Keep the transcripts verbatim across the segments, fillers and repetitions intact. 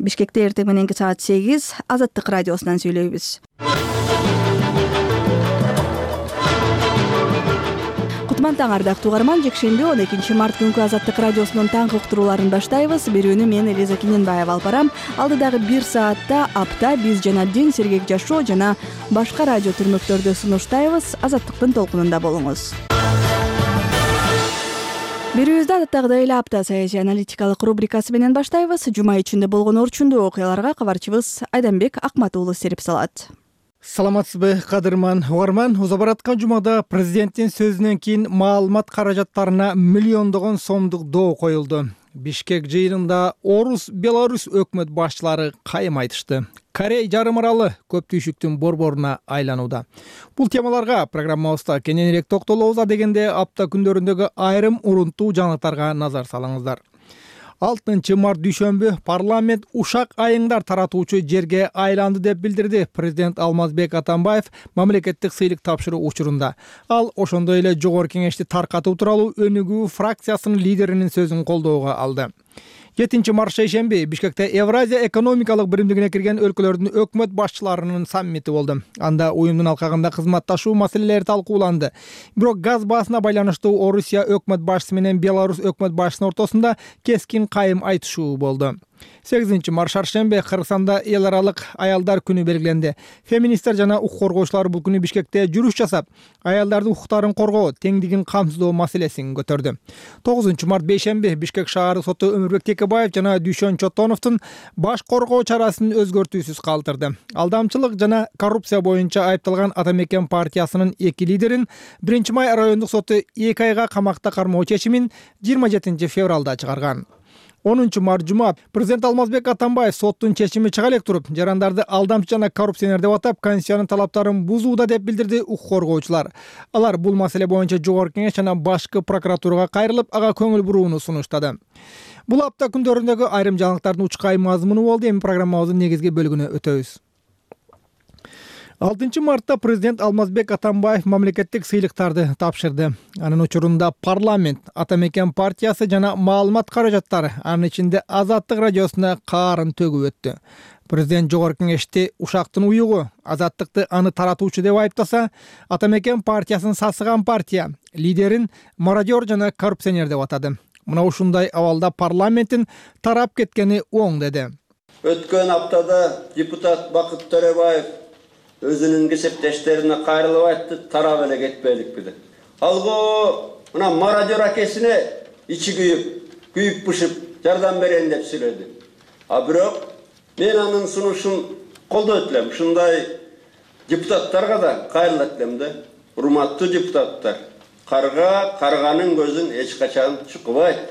Бишкекте эртең мененки саат сегиз Азаттык радиосунан сүйлөйбүз. Кутман таң ардактуу угарман, жекшемби он экинчи март күнкү Азаттык радиосунун таңкы уктурууларын баштайбыз. Берүүнү мен Элиза Кененбаева алып барам. Алдыдагы бир саатта апта биз жана дин, сергек жашоо жана башка радио түрмөктөрдү сунуштайбыз. Азаттыктын толкунунда болуңуз. Берүүбүздү адаттагыдай эле апта саясий аналитикалык рубрикасы менен баштайбыз. Жума ичинде болгон орчундуу окуяларга кабарчыбыз Айданбек Акмат уулу серип салат. Саламатсызбы, кадырман угарман. Уза бараткан жумада президенттин сөзүнөн кийин маалымат каражаттарына миллиондогон сомдук доо коюлду. Бишкек жыйынында Орус, Беларусь өкмөт башчылары кайым айтышты. Корей жарым аралы көп түйшүктүн борборуна айланууда. Бул темаларга программабызда кененирээк токтолобуз дегенде апта күндөрүндөгү айрым урунттуу жаңылыктарга назар салыңыздар. алтынчы март дүйшөмбү парламент ушак айыңдар таратуучу жерге айланды деп билдирди президент Алмазбек Атамбаев мамлекеттик сыйлык тапшыруу учурунда. Ал ошондой эле жогорку кеңешти таркатуу тууралуу Өнүгүү фракциясынын лидеринин сөзүн колдоого алды. жетинчи март шейшемби Бишкекте Евразия экономикалык биримдигине кирген өлкөлөрдүн өкмөт башчыларынын саммити болду. Анда уюмдун алкагында кызматташуу маселелери талкууланды. Бирок газ баасына байланыштуу Орусия өкмөт башчысы менен Беларусь өкмөт башчысынын ортосунда кескин кайым айтышуу болду. сегизинчи март шаршемби Кыргызстанда эл аралык аялдар күнү белгиленди. Феминисттер жана укук коргоочулар бул күнү Бишкекте жүрүш жасап, аялдардын укуктарын коргоо, теңдигин камсыздоо маселесин көтөрдү. тогузунчу март бейшемби Бишкек шаардык соту Өмүрбек Текебаев жана Дүйшөн Чотоновдун баш коргоо чарасын өзгөртүүсүз калтырды. Алдамчылык жана коррупция боюнча айыпталган Атамекен партиясынын эки лидерин биринчи май райондук соту эки айга камакта кармоо чечимин жыйырма жетинчи февралда чыгарган. онунчу март жума президент Алмазбек Атамбаев соттун чечими чыга элек туруп, жарандарды алдамчы жана коррупционер деп атап, Конституциянын талаптарын бузууда деп билдирди укук коргоочулар. Алар бул маселе боюнча жогорку кеңеш жана башкы прокуратурага кайрылып, ага көңүл бурууну сунуштады. Бул апта күндөрүндөгү айрым жаңылыктардын учкай мазмуну болду. Эми программабыздын негизги бөлүгүнө өтөбүз. алтынчы мартта президент Алмазбек Атамбаев мамлекеттик сыйлыктарды тапшырды. Анын учурунда парламент, Атамекен партиясы жана маалымат каражаттары, анын ичинде Азаттык радиосуна каарын төгүп өттү. Президент жогорку кеңешти ушактын уюгу, Азаттыкты аны таратуучу деп айыптаса, Атамекен партиясын сасыган партия, лидерин мародер жана коррупционер деп атады. Мына ушундай абалда парламенттин тарап кеткени оң деди. Өткөн аптада депутат Бакыт Төрөбаев өзүнүн кесиптештерине кайрылып айтты, тарап эле кетпеликпи деп. Алго мына мародер акесине ичи күйүп, күйүп бышып жардам берейин деп сүйлөдү. А бирок мен анын сунушун колдойт элем. Ушундай депутаттарга да кайрылат элем да. Урматтуу депутаттар, карга карганын көзүн эч качан чукубайт.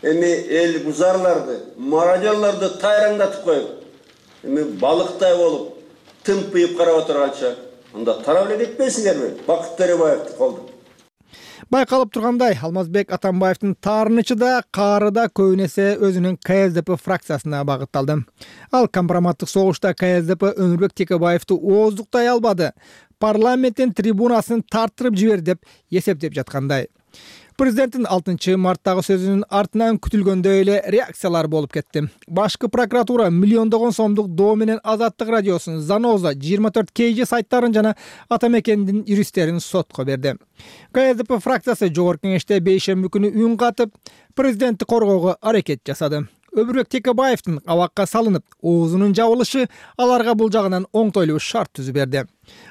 Эми эл бузарларды, мародерларды тайраңдатып коюп, эми балыктай болуп тымпыйып карап отурганча, анда тарап эле кетпейсиңерби? Бакыт Төрөбаевди колдоп. Байкалып тургандай, Алмазбек Атамбаевдин таарынычы да, каары да көбүн эсе өзүнүн К С Д П фракциясына багытталды. Ал компроматтык согушта К С Д П Өмүрбек Текебаевди ооздуктай албады. Парламенттин трибунасын тартырып жибер деп эсептеп жаткандай. Президенттин алтынчы марттагы сөзүнүн артынан күтүлгөндөй эле реакциялар болуп кетти. Башкы прокуратура миллиондогон сомдук доо менен Азаттык радиосун, Заноза, жыйырма төрт кей же сайттарын жана Атамекендин юристтерин сотко берди. К С Д П фракциясы жогорку кеңеште бейшемби күнү үн катып, президентти коргоого аракет жасады. Өмүрбек Текебаевдин абакка салынып, оозунун жабылышы аларга бул жагынан оңтойлуу шарт түзүп берди.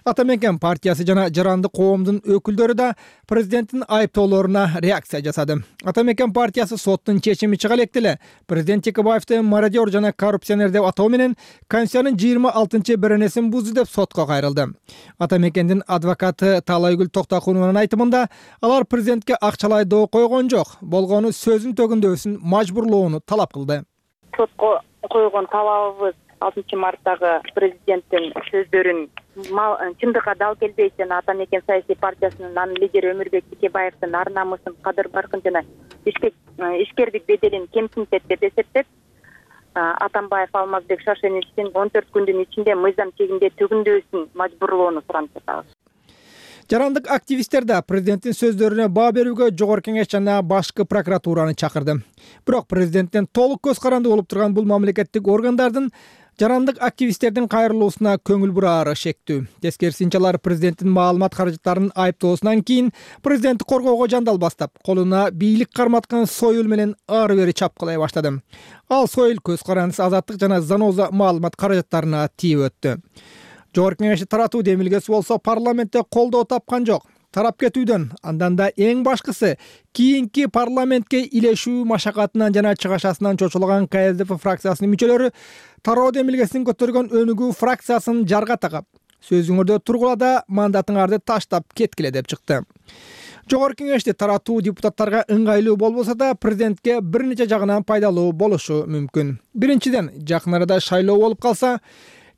Атамекен партиясы жана жаранды коомдун өкүлдөрү да президенттин айыптоолоруна реакция жасады. Атамекен партиясы соттун чечими чыга элек деле президент Текебаевди мародер жана коррупционер деп атоо менен Конституциянын жыйырма алтынчы беренесин бузду деп сотко кайрылды. Атамекендин адвокаты Талайгүл Токтокунованын айтымында, алар президентке акчалай доо койгон жок, болгону сөзүн төгүндөсүн мажбурлоону талап кылды. Сотко койгон талабыбыз алтынчы марттагы президенттин сөздөрүн чындыкка дал келбейт жана Атамекен саясий партиясынын анын лидери Өмүрбек Текебаевдин ар намысын, кадыр баркын жана ишкердик беделин кемсинтет деп эсептеп, Атамбаев Алмазбек Шаршеновичтин он төрт күндүн ичинде мыйзам чегинде төгүндөсүн мажбурлоону суранып жатабыз. Жарандык активисттер да президенттин сөздөрүнө баа берүүгө Жогорку Кеңеш жана башкы прокуратураны чакырды. Бирок президенттен толук көз каранды болуп турган бул мамлекеттик органдардын жарандык активисттердин кайрылуусуна көңүл бураары шектүү. Тескерисинче алар президенттин маалымат каражаттарын айыптоосунан кийин президентти коргоого жандал бастап, колуна бийлик карматкан Сойыл менен ары бери чапкылай баштады. Ал Сойыл көз карандысыз азаттык жана Заноза маалымат каражаттарына тийип өттү. Жогорку Кеңешти таратуу демилгеси болсо парламентте колдоо тапкан жок. Тарап кетүүдөн, андан да эң башкысы кийинки парламентке илешүү машакатынан жана чыгашасынан чочулган ка эс дэ пэ фракциясынын мүчөлөрү тароо демилгесин көтөргөн өнүгүү фракциясын жарга тагап, сөзүңөрдө тургула да мандатыңарды таштап кеткиле деп чыкты. Жогорку Кеңешти таратуу депутаттарга ыңгайлуу болбосо да президентке бир нече жагынан пайдалуу болушу мүмкүн. Биринчиден, жакын арада шайлоо болуп калса,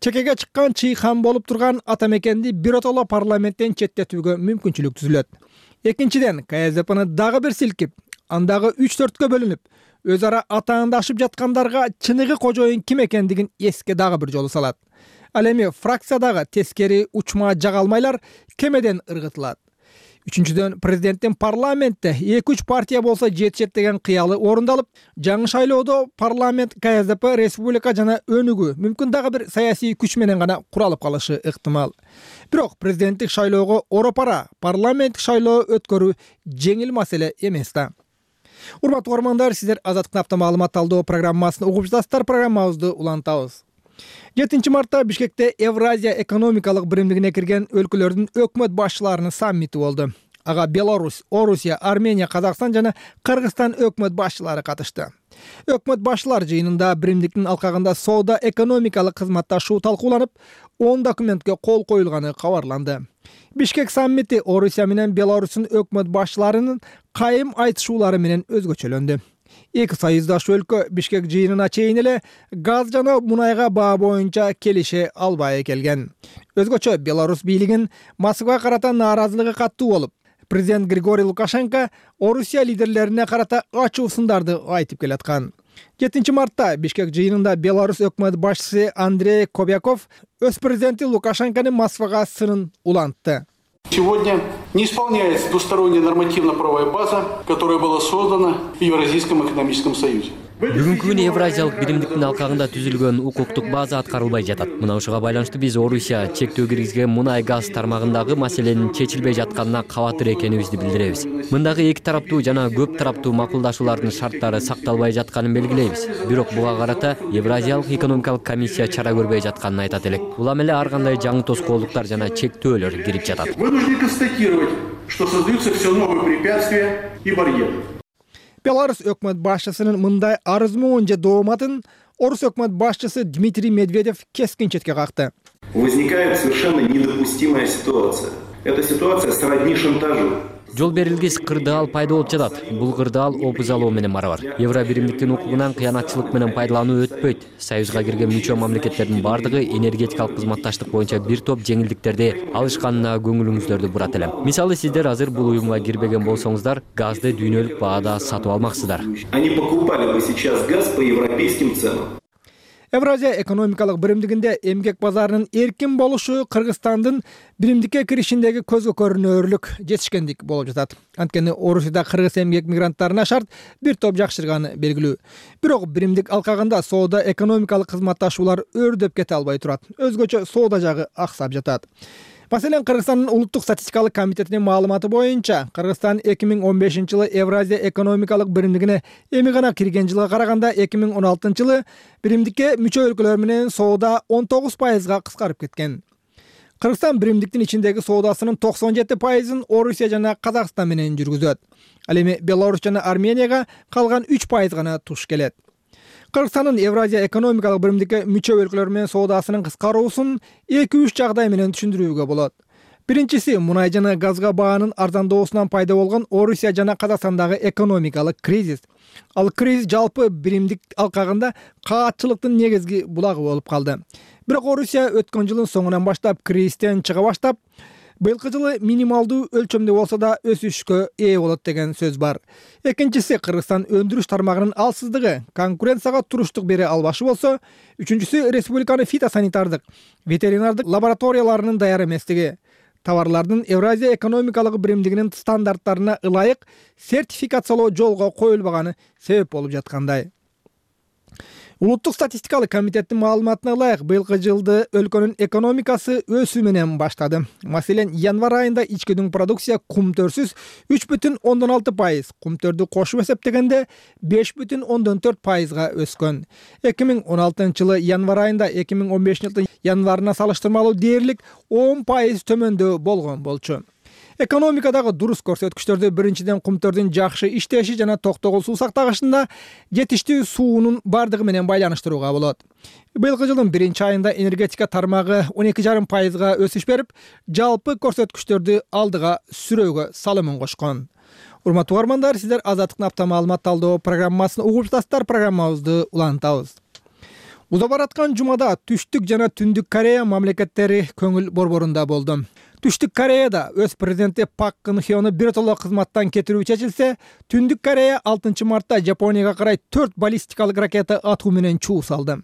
чекеге чыккан чыйхан болуп турган ата мекенди биротоло парламенттен четтетүүгө мүмкүнчүлүк түзүлөт. Экинчиден, ка эс дэ пэни дагы бир силкип, андагы үч төрткө бөлүнүп, өз ара атаандашып жаткандарга чыныгы кожоюн ким экендигин эске дагы бир жолу салат. Ал эми фракциядагы тескери учма жагалмайлар кемеден ыргытылат. Үчүнчүдөн, президенттин парламентте эки үч партия болсо жетишет деген кыялы орундалып, жаңы шайлоодо парламент ка эс дэ пэ республика жана өнүгүү мүмкүн дагы бир саясий күч менен гана куралып калышы ыктымал. Бирок президенттик шайлоого оропара парламенттик шайлоо өткөрүү жеңил маселе эмес да. Урматтуу угармандар, сиздер Азаттыктын апта маалымат талдоо программасын угуп жатасыздар. Программабызды улантабыз. жетинчи мартта Бишкекте Евразия экономикалык биримдигине кирген өлкөлөрдүн өкмөт башчыларынын саммити болду. Ага Беларусь, Орусия, Армения, Казакстан жана Кыргызстан өкмөт башчылары катышты. Өкмөт башчылар жыйынында биримдиктин алкагында соода экономикалык кызматташуу талкууланып, он документке кол коюлганы кабарланды. Бишкек саммити Орусия менен Беларустун өкмөт башчыларынын кайым айтышуулары менен өзгөчөлөндү. Эки союздаш өлкө Бишкек жыйынына чейин эле газ жана мунайга баа боюнча келише албай келген. Өзгөчө Беларусь бийлигин Москвага карата нааразылыгы каттуу болуп, президент Григорий Лукашенко Орусия лидерлерине карата ачуу сындарды айтып келаткан. жетинчи мартта Бишкек жыйынында Беларусь өкмөт башчысы Андрей Кобяков өз президенти Лукашенконун Москвага сынын улантты. Сегодня не исполняется двусторонняя нормативно-правовая база, которая была создана в Евразийском экономическом союзе. Бүгүнкү күнү Евразиялык биримдиктин алкагында түзүлгөн укуктук база аткарылбай жатат. Мына ушуга байланыштуу биз Орусия чектөө киргизген мунай газ тармагындагы маселенин чечилбей жатканына кабатыр экенибизди билдиребиз. Мындагы эки тараптуу жана көп тараптуу макулдашуулардын шарттары сакталбай жатканын белгилейбиз. Бирок буга карата Евразиялык экономикалык комиссия чара көрбөй жатканын айтат элек. Улам эле ар кандай жаңы тоскоолдуктар жана чектөөлөр кирип жатат. Вынуждены констатировать, что создаются все новые препятствия и барьеры. Беларусь өкмөт башчысынын мындай арызмуун же дооматын Орус өкмөт башчысы Дмитрий Медведев кескин четке какты. Возникает совершенно недопустимая ситуация. Эта ситуация сродни шантажу. Жол берилгис кырдаал пайда болуп жатат. Бул кырдаал опуз алуу менен барабар. Евро биримдиктин укугунан кыянатчылык менен пайдалануу өтпөйт. Союзга кирген мүчө мамлекеттердин бардыгы энергетикалык кызматташтык боюнча бир топ жеңилдиктерди алышканына көңүлүңүздөрдү бурат элем. Мисалы, сиздер азыр бул уюмга кирбеген болсоңуздар, газды дүйнөлүк баада сатып алмаксыздар. Они покупали бы сейчас газ по европейским ценам. Евразия экономикалык биримдигинде эмгек базарынын эркин болушу Кыргызстандын биримдикке киришиндеги көзгө көрүнөрлүк жетишкендик болуп жатат. Анткени Орусияда кыргыз эмгек мигранттарына шарт бир топ жакшырганы белгилүү. Бирок биримдик алкагында соода экономикалык кызматташуулар өрдөп кете албай турат. Өзгөчө соода жагы аксап жатат. Маселен, Кыргызстандын улуттук статистикалык комитетинин маалыматы боюнча, Кыргызстан эки миң он бешинчи жылы Евразия экономикалык биримдигине эми гана кирген жылга караганда эки миң он алтынчы жылы биримдикке мүчө өлкөлөр менен соода он тогуз пайызга кыскарып кеткен. Кыргызстан биримдиктин ичиндеги соодасынын токсон жети пайызын Орусия жана Казакстан менен жүргүзөт. Ал эми Беларусь жана Арменияга калган үч пайыз гана туш келет. Кыргызстандын Евразия экономикалык биримдикке мүчө өлкөлөр менен соодасынын кыскаруусун эки үч жагдай менен түшүндүрүүгө болот. Биринчиси, мунай жана газга баанын арзандоосунан пайда болгон Орусия жана Казакстандагы экономикалык кризис. Ал кризис жалпы биримдик алкагында каатчылыктын негизги булагы болуп калды. Бирок Орусия өткөн жылдын соңунан баштап кризистен чыга баштап, быйылкы жылы минималдуу өлчөмдө болсо да өсүшкө ээ болот деген сөз бар. Экинчиси, Кыргызстан өндүрүш тармагынын алсыздыгы, конкуренцияга туруштук бере албашы болсо, үчүнчүсү республиканын фитосанитардык, ветеринардык лабораторияларынын даяр эместиги. товарлардын Евразия экономикалык биримдигинин стандарттарына ылайык сертификациялоо жолго коюлбаганы себеп болуп жаткандай. Улуттук статистикалык комитеттин маалыматына ылайык быйылкы жылды өлкөнүн экономикасы өсүү менен баштады. Маселен, январь айында ичкидүн продукция кумтөрсүз үч бүтүн ондон алты пайыз, кумтөрдү кошуп эсептегенде беш бүтүн ондон төрт пайызга өскөн. эки миң он алтынчы жылы январь айында эки миң он бешинчи жылдын январына салыштырмалуу дээрлик он пайыз төмөндөө болгон болчу. Экономикадагы дурус көрсөткүчтөрдү биринчиден кумтөрдүн жакшы иштеши жана токтогул суу сактагычында жетиштүү суунун бардыгы менен байланыштырууга болот. Быйылкы жылдын биринчи айында энергетика тармагы он эки жарым пайызга өсүш берип, жалпы көрсөткүчтөрдү алдыга сүрөөгө салымын кошкон. Урматтуу угармандар, сиздер Азаттыктын апта маалымат талдоо программасын угуп жатасыздар. Программабызды улантабыз. Уза бараткан жумада Түштүк жана Түндүк Корея мамлекеттери көңүл борборунда болду. Түштүк Кореяда өз президенти Пак Кын Хёну биротоло кызматтан кетирүү чечилсе, Түндүк Корея алтынчы мартта Жапонияга карай төрт баллистикалык ракета атуу менен чуу салды.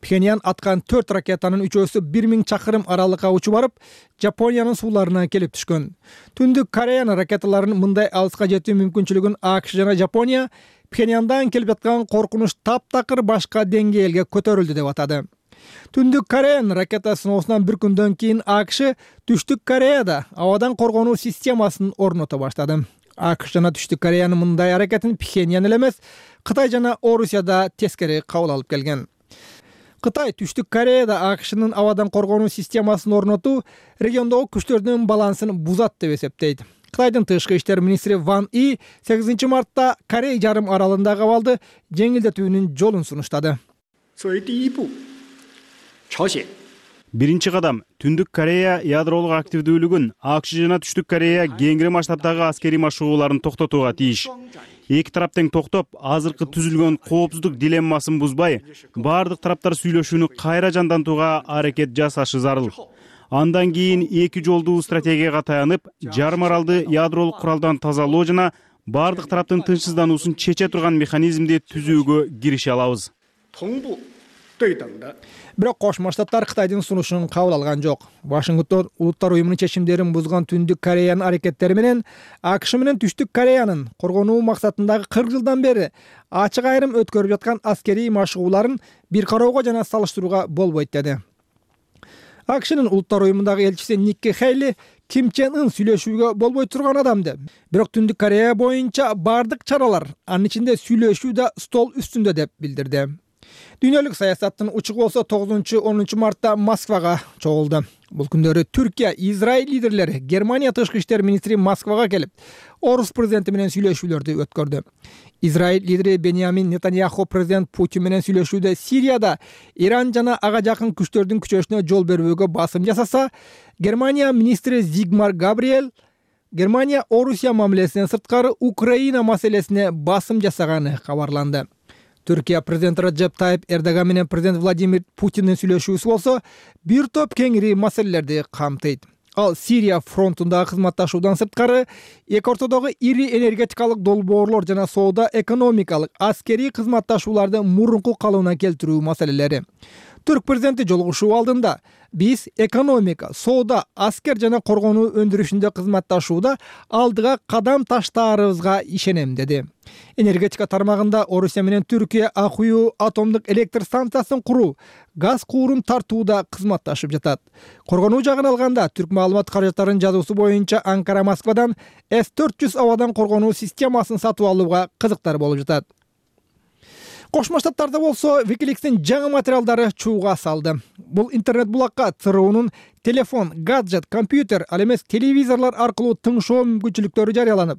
Пхеньян аткан төрт ракетанын үчөөсү бир миң чакырым аралыкка учуп барып, Жапониянын сууларына келип түшкөн. Түндүк Кореянын ракеталарынын мындай алыска жетүү мүмкүнчүлүгүн АКШ жана Жапония Пхеньяндан келип жаткан коркунуч таптакыр башка деңгээлге көтөрүлдү деп атады. Түндүк Кореянын ракета сыноосунан бир күндөн кийин АКШ Түштүк Кореяда абадан коргонуу системасын орното баштады. АКШ жана Түштүк Кореянын мындай аракетин Пхеньян эле эмес, Кытай жана Орусия да тескери кабыл алып келген. Кытай Түштүк Кореяда АКШнын абадан коргонуу системасын орнотуу региондогу күчтөрдүн балансын бузат деп эсептейт. Кытайдын тышкы иштер министри Ван И сегизинчи мартта Корей жарым аралындагы абалды жеңилдетүүнүн жолун сунуштады. Биринчи кадам Түндүк Корея ядролук активдүүлүгүн АКШ жана Түштүк Корея кеңири масштабтагы аскерий машыгууларын токтотууга тийиш. Эки тарап тең токтоп, азыркы түзүлгөн коопсуздук дилеммасын бузбай, бардык тараптар сүйлөшүүнү кайра жандантууга аракет жасашы зарыл. Андан кийин эки жолдуу стратегияга таянып, жарым аралды ядролук куралдан тазалоо жана бардык тараптын тынчсыздануусун чече турган механизмди түзүүгө кирише алабыз. Бирок Кошмо Штаттар Кытайдын сунушун кабыл алган жок. Вашингтон Улуттар уюмунун чечимдерин бузган Түндүк Кореянын аракеттери менен АКШ менен Түштүк Кореянын коргонуу максатындагы кырк жылдан бери ачык айрым өткөрүп жаткан аскерий машыгууларын бир кароого жана салыштырууга болбойт деди. АКШнын Улуттар уюмундагы элчиси Никки Хейли Ким Чен Ын сүйлөшүүгө болбой турган адам деп. Бирок Түндүк Корея боюнча бардык чаралар, анын ичинде сүйлөшүү да стол үстүндө деп билдирди. Дүйнөлүк саясаттын учугу болсо тогузунчу онунчу мартта Москвага чогулду. Бул күндөрү Түркия, Израиль лидерлери, Германия тышкы иштер министри Москвага келип, Орус президенти менен сүйлөшүүлөрдү өткөрдү. Израиль лидери Беньямин Нетаньяху президент Путин менен сүйлөшүүдө Сирияда Иран жана ага жакын күчтөрдүн күчөшүнө жол бербөөгө басым жасаса, Германия министри Зигмар Габриэль Германия Орусия мамилесинен сырткары Украина маселесине басым жасаганы кабарланды. Түркия президенти Раджеп Тайип Эрдоган менен президент Владимир Путиндин сүйлөшүүсү болсо бир топ кеңири маселелерди камтыйт. Ал Сирия фронтундагы кызматташуудан сырткары эки ортодогу ири энергетикалык долбоорлор жана соода экономикалык аскерий кызматташууларды мурунку калыбына келтирүү маселелери. Түрк президенти жолугушуу алдында биз экономика, соода, аскер жана коргонуу өндүрүшүндө кызматташууда алдыга кадам таштаарыбызга ишенем деди. Энергетика тармагында Орусия менен Түркия Акуйу атомдук электр станциясын куруу, газ куурун тартууда кызматташып жатат. Коргонуу жагын алганда Түрк маалымат каражаттарынын жазуусу боюнча Анкара Москвадан эс төрт жүз абадан коргонуу системасын сатып алууга кызыктар болуп жатат. Кошмо Штаттарда болсо Wikileaks'ин жаңы материалдары чууга салды. Бул интернет булакка ЦРУнун телефон, гаджет, компьютер, ал эмес телевизорлор аркылуу тыңшоо мүмкүнчүлүктөрү жарыяланып,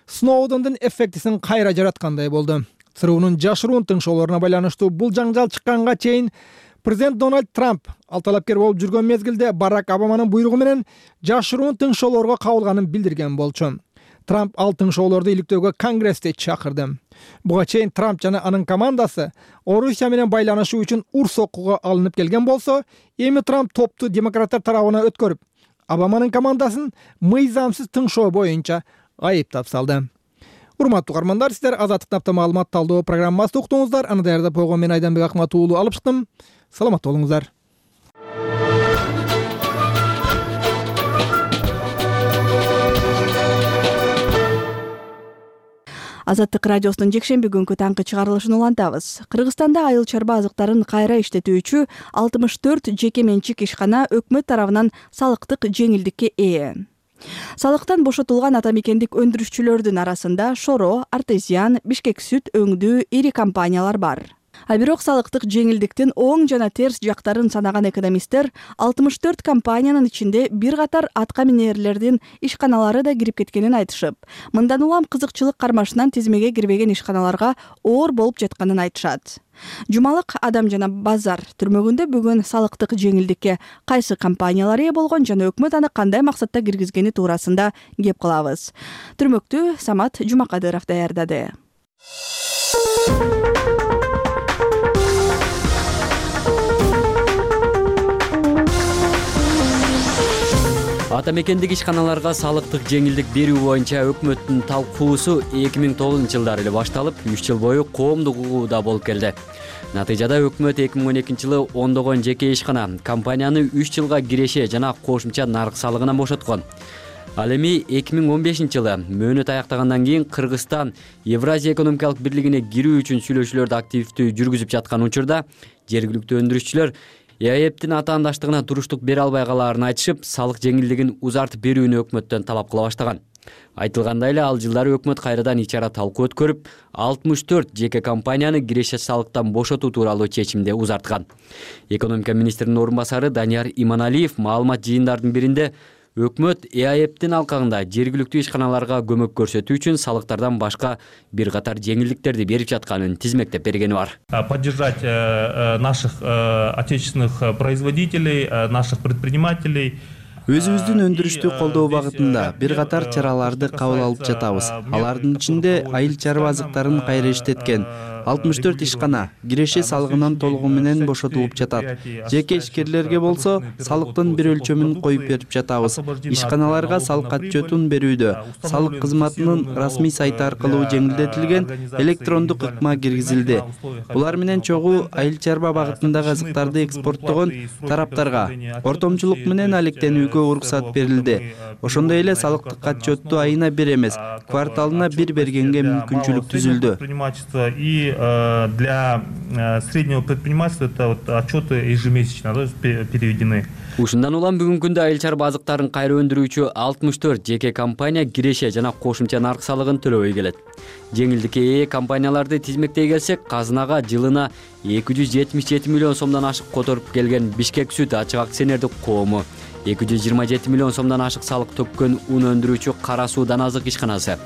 Сноудендин эффектисин кайра жараткандай болду. ЦРУнун жашыруун тыңшоолоруна байланыштуу бул жаңжал чыкканга чейин президент Дональд Трамп ал талапкер болуп жүргөн мезгилде Барак Обаманын буйругу менен жашыруун тыңшоолорго кабылганын билдирген болчу. Трамп ал тыңшоолорду иликтөөгө Конгрессти чакырды. Буга чейин Трамп жана анын командасы Орусия менен байланышуу үчүн ур соккуга алынып келген болсо, эми Трамп топту демократтар тарабына өткөрүп, Обаманын командасын мыйзамсыз тыңшоо боюнча айыптап салды. Урматтуу угармандар, сиздер Азаттыктын апта маалымат талдоо программасын уктуңуздар. Аны даярдап койгон мен Айданбек Акмат уулу алып чыктым. Саламат болуңуздар. Азаттык радиосунун жекшемби күнкү таңкы чыгарылышын улантабыз. Кыргызстанда айыл чарба азыктарын кайра иштетүүчү алтымыш төрт жеке менчик ишкана өкмөт тарабынан салыктык жеңилдикке ээ. Салыктан бошотулган ата мекендик өндүрүшчүлөрдүн арасында Шоро, Артезиан, Бишкек сүт өңдүү ири компаниялар бар. А бирок салыктык жеңилдиктин оң жана терс жактарын санаган экономисттер алтымыш төрт компаниянын ичинде бир катар атка минерлердин ишканалары да кирип кеткенин айтышып, мындан улам кызыкчылык кармашынан тизмеге кирбеген ишканаларга оор болуп жатканын айтышат. Жумалык Адам жана Базар түрмөгүндө бүгүн салыктык жеңилдикке кайсы компаниялар ээ болгон жана өкмөт аны кандай максатта киргизгени туурасында кеп кылабыз. Түрмөктү Самат Жумакадыров даярдады. Ата мекендик ишканаларга салыктык жеңилдик берүү боюнча өкмөттүн талкуусу эки миң тогузунчу жылдары эле башталып, үч жыл бою коомдук угууда болуп келди. Натыйжада өкмөт эки миң он экинчи жылы ондогон жеке ишкана компанияны үч жылга киреше жана кошумча нарык салыгынан бошоткон. Ал эми эки миң он бешинчи жылы мөөнөт аяктагандан кийин Кыргызстан Евразия экономикалык бирлигине кирүү үчүн сүйлөшүүлөрдү активдүү жүргүзүп жаткан учурда жергиликтүү өндүрүшчүлөр ЭАЭптин атаандаштыгына туруштук бере албай калаарын айтышып, салык жеңилдигин узартып берүүнү өкмөттөн талап кыла баштаган. Айтылгандай эле ал жылдары өкмөт кайрадан ич-ара талкуу өткөрүп, алтымыш төрт жеке компанияны киреше салыктан бошотуу тууралуу чечимди узарткан. Экономика министринин орун басары Данияр Иманалиев маалымат жыйындардын биринде өкмөт ЭАЭптин алкагында жергиликтүү ишканаларга көмөк көрсөтүү үчүн салыктардан башка бир катар жеңилдиктерди берип жатканын тизмектеп бергени бар. Поддержать наших отечественных производителей, наших предпринимателей. Өзүбүздүн өндүрүштү колдоо багытында бир катар чараларды кабыл алып жатабыз. Алардын ичинде айыл чарба азыктарын кайра иштеткен алтымыш төрт ишкана киреше салыгынан толугу менен бошотулуп жатат. Жеке ишкерлерге болсо салыктын бир өлчөмүн коюп берип жатабыз. Ишканаларга салык отчетун берүүдө салык кызматынын расмий сайты аркылуу жеңилдетилген электрондук ыкма киргизилди. Булар менен чогуу айыл чарба багытындагы азыктарды экспорттогон тараптарга ортомчулук менен алектенүүгө уруксат берилди. Ошондой эле салыктык отчетту айына бир эмес, кварталына бир бергенге мүмкүнчүлүк түзүлдү. И для среднего предпринимательства это вот отчеты ежемесячно переведены. Ушундан улам бүгүнкү күндө айыл чарба азыктарын кайра өндүрүүчү алтымыш төрт жеке компания киреше жана кошумча нарык салыгын төлөбөй келет. Жеңилдикке ээ компанияларды тизмектей келсек, казынага жылына эки жүз жетимиш жети миллион сомдон ашык которуп келген Бишкек сүт ачык акционердик коому, эки жүз жыйырма жети миллион сомдон ашык салык төккөн ун өндүрүүчү Кара суу Даназык ишканасы,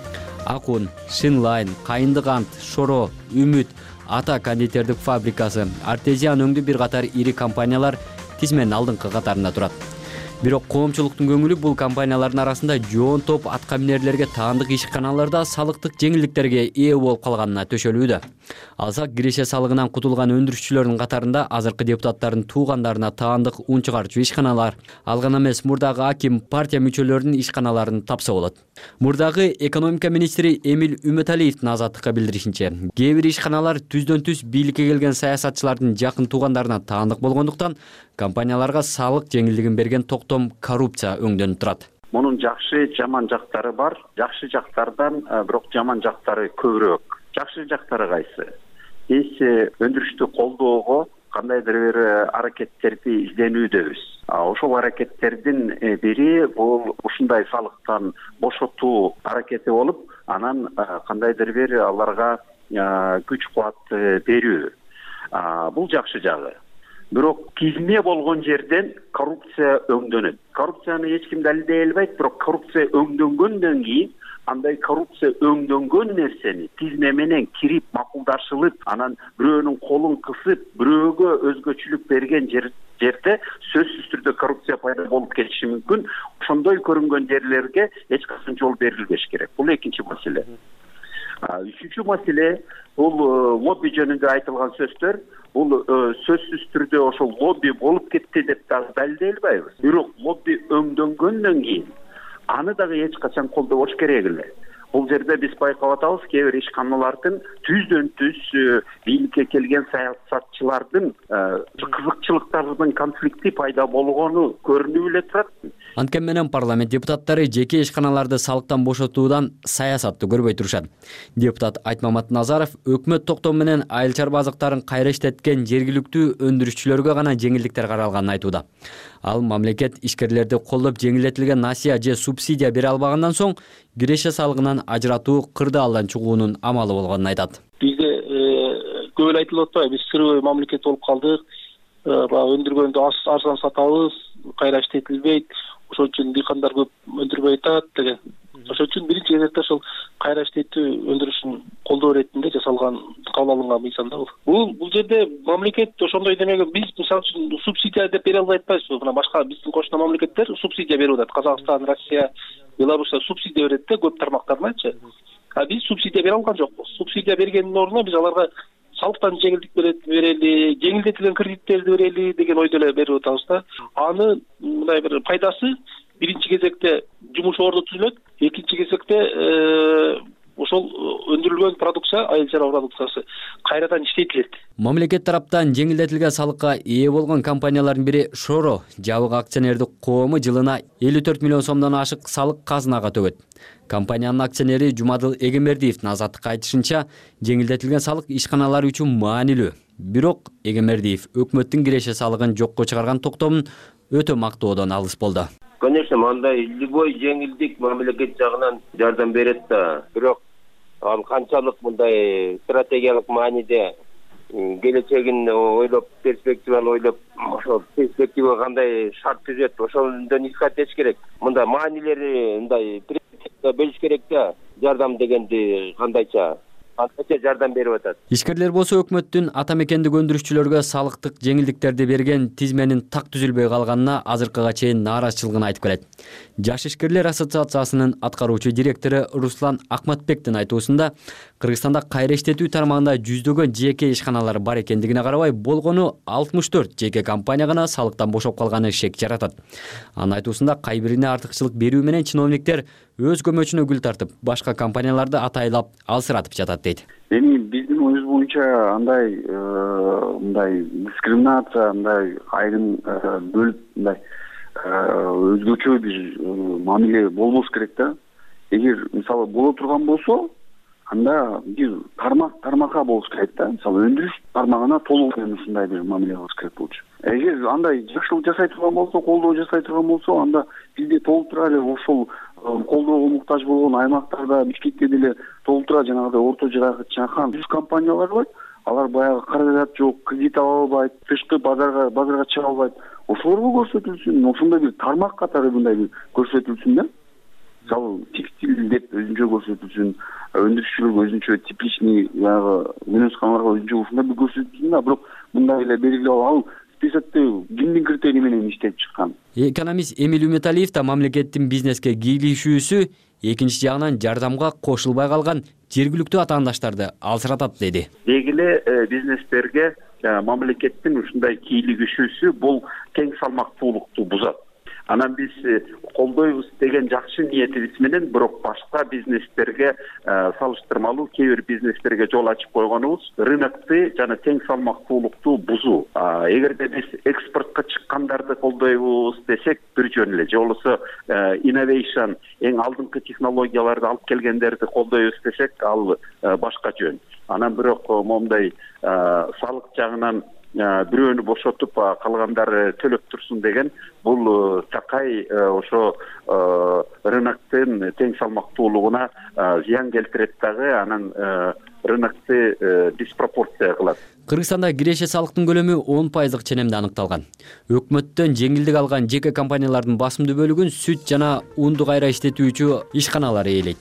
Акун, Шинлайн, Кайындык ант, Шоро, Үмүт, Ата кондитердик фабрикасы, Артезиан өңдүү бир катар ири компаниялар тизменин алдыңкы катарында турат. Бирок коомчулуктун көңүлү бул компаниялардын арасында жоон топ атка минерлерге таандык ишканаларда салыктык жеңилдиктерге ээ болуп калганына төшөлүүдө. Алсак, киреше салыгынан кутулган өндүрүшчүлөрдүн катарында азыркы депутаттардын туугандарына таандык ун чыгарчу ишканалар, ал гана эмес мурдагы аким, партия мүчөлөрүнүн ишканаларын тапса болот. Мурдагы экономика министри Эмил Үмөталиевдин Азаттыкка билдиришинче, кээ бир ишканалар түздөн түз бийликке келген саясатчылардын жакын туугандарына таандык болгондуктан компанияларга салык жеңилдигин берген токтом коррупция өңдөнүп турат. Мунун жакшы, жаман жактары бар. Жакшы жактардан бирок жаман жактары көбүрөөк. Жакшы жактары кайсы? Биз өндүрүштү колдоого кандайдыр бир аракеттерди изденүүдөбүз. Ошол аракеттердин бири бул ушундай салыктан бошотуу аракети болуп, анан кандайдыр бир аларга күч кубат берүү. Бул жакшы жагы. Бирок тизме болгон жерден коррупция өңдөнөт. Коррупцияны эч ким далилдей албайт, бирок коррупция өңдөнгөндөн кийин андай коррупция өңдөнгөн нерсени тизме менен кирип макулдашылып, анан бирөөнүн колун кысып, бирөөгө өзгөчөлүк берген жерде сөзсүз түрдө коррупция пайда болуп кетиши мүмкүн. Ошондой көрүнгөн жерлерге эч качан жол берилбеш керек. Бул экинчи маселе. Үчүнчү маселе бул лобби жөнүндө айтылган сөздөр. Бул сөзсүз түрдө ошол лобби болуп кетти деп дагы далилдей албайбыз. Бирок лобби өңдөнгөндөн кийин аны дагы эч качан колдобош керек эле. Бул жерде биз байкап атабыз, кээ бир ишканалардын түздөн түз бийликке келген саясатчылардын кызыкчылыктарынын конфликти пайда болгону көрүнүп эле турат. Анткени менен парламент депутаттары жеке ишканаларды салыктан бошотуудан саясатты көрбөй турушат. Депутат Айтмамат Назаров өкмөт токтому менен айыл чарба азыктарын кайра иштеткен жергиликтүү өндүрүшчүлөргө гана жеңилдиктер каралганын айтууда. Ал мамлекет ишкерлерди колдоп жеңилдетилген насыя же субсидия бере албагандан соң киреше салыгынан ажыратуу кырдаалдан чыгуунун амалы болгонун айтат. Бизде көп эле айтылып атпайбы, биз сырбый мамлекет болуп калдык. Баягы өндүргөндү арзан сатабыз, кайра иштетилбейт. Ошол үчүн дыйкандар көп өндүрбөй атат деген. Ошол үчүн биринчи кезекте ошол кайра иштетүү өндүрүшүн колдоо иретинде жасалган, кабыл алынган мыйзам да бул. Бул бул жерде мамлекет ошондой демеге биз мисалы үчүн субсидия деп бере албай атпайбызбы? Мына башка биздин кошуна мамлекеттер субсидия берип атат. Казакстан, Россия, Беларусь субсидия берет да көп тармактарыначы. А биз субсидия бере алган жокпуз. Субсидия бергендин ордуна биз аларга салыктан жеңилдик берели, жеңилдетилген кредиттерди берели деген ойдо эле берип атабыз да. Аны мындай бир пайдасы биринчи кезекте жумуш орду түзүлөт, экинчи кезекте ошол өндүрүлгөн продукция, айыл чарба продукциясы кайрадан иштетилет. Мамлекет тараптан жеңилдетилген салыкка ээ болгон компаниялардын бири Шоро жабык акционердик коому жылына элүү төрт миллион сомдон ашык салык казынага төгөт. Компаниянын акционери Жумадыл Эгембердиевдин азаттыкка айтышынча, жеңилдетилген салык ишканалар үчүн маанилүү. Бирок Эгембердиев өкмөттүн киреше салыгын жокко чыгарган токтомун өтө мактоодон алыс болду. Конечно, мындай любой жеңилдик мамлекет жагынан жардам берет да. Бирок ал канчалык мындай стратегиялык мааниде келечегин ойлоп, перспективаны ойлоп, ошол перспектива кандай шарт түзөт, ошондон исхат этиш керек. Мындай маанилери мындай бөлүш керек да. Жардам дегенди кандайча Антача жардам берип атат. Ишкерлер болсо өкмөттүн ата мекендик өндүрүшчүлөргө салыктык жеңилдиктерди берген тизменин так түзүлбөй калганына азыркыга чейин нааразычылыгын айтып келет. Жаш ишкерлер ассоциациясынын аткаруучу директору Руслан Акматбектин айтуусунда, Кыргызстанда кайра иштетүү тармагында жүздөгөн жеке ишканалар бар экендигине карабай, болгону алтымыш төрт жеке компания гана салыктан бошоп калганы шек жаратат. Анын айтуусунда кайбирине артыкчылык берүү менен чиновниктер өз көмөчүнө гүл тартып, башка компанияларды атайлап алсыратып жатат дейт. Эми биздин оюбуз боюнча андай мындай дискриминация, мындай айрым бөлүп мындай өзгөчө бир мамиле болбош керек да. Эгер мисалы боло турган болсо, анда бир тармак тармакка болуш керек да. Мисалы өндүрүш тармагына толук ушундай бир мамиле кылыш керек болчу. Эгер андай жакшылык жасай турган болсо, колдоо жасай турган болсо, анда бизде толтура эле ошол колдоого муктаж болгон аймактарда, Бишкекте деле толтура жанагыдай орто жакан жүз компаниялар бар. Алар баягы каражат жок, кредит ала албайт, тышкы базарга базарга чыга албайт. Ошолорго көрсөтүлсүн, ошондой бир тармак катары мындай бир көрсөтүлсүн да. Мисалы текстиль деп өзүнчө көрсөтүлсүн, өндүрүшчүлөргө өзүнчө типичный баягы мүнөз-камалга өзүнчө ушундай бир көрсөтүлсүн да. Бирок мындай эле белгилеп ал списокто кимдин критерий менен иштеп чыккан. Экономист Эмиль Үмүталиев да мамлекеттин бизнеске кийлигишүүсү экинчи жагынан жардамга кошулбай калган жергиликтүү атаандаштарды алсыратат деди. Дегиле бизнестерге мамлекеттин ушундай кийлигишүүсү бул тең салмактуулукту бузат. Анан биз колдойбуз деген жакшы ниетибиз менен бирок башка бизнестерге салыштырмалуу кээ бир бизнестерге жол ачып койгонубуз рынокты жана тең салмактуулукту бузуу. Эгерде биз экспортко чыккандарды колдойбуз десек бир жөн эле, же болбосо innovation эң алдыңкы технологияларды алып келгендерди колдойбуз десек ал башка жөн. Анан бирок момундай салык жагынан бирөөнү бошотуп калгандары төлөп турсун деген бул такай ошо рыноктун тең салмактуулугуна зыян келтирет дагы, анан рынокты диспропорция кылат. Кыргызстанда киреше салыктын көлөмү он пайыздык ченемде аныкталган. Өкмөттөн жеңилдик алган жеке компаниялардын басымдуу бөлүгүн сүт жана унду кайра иштетүүчү ишканалар ээлейт.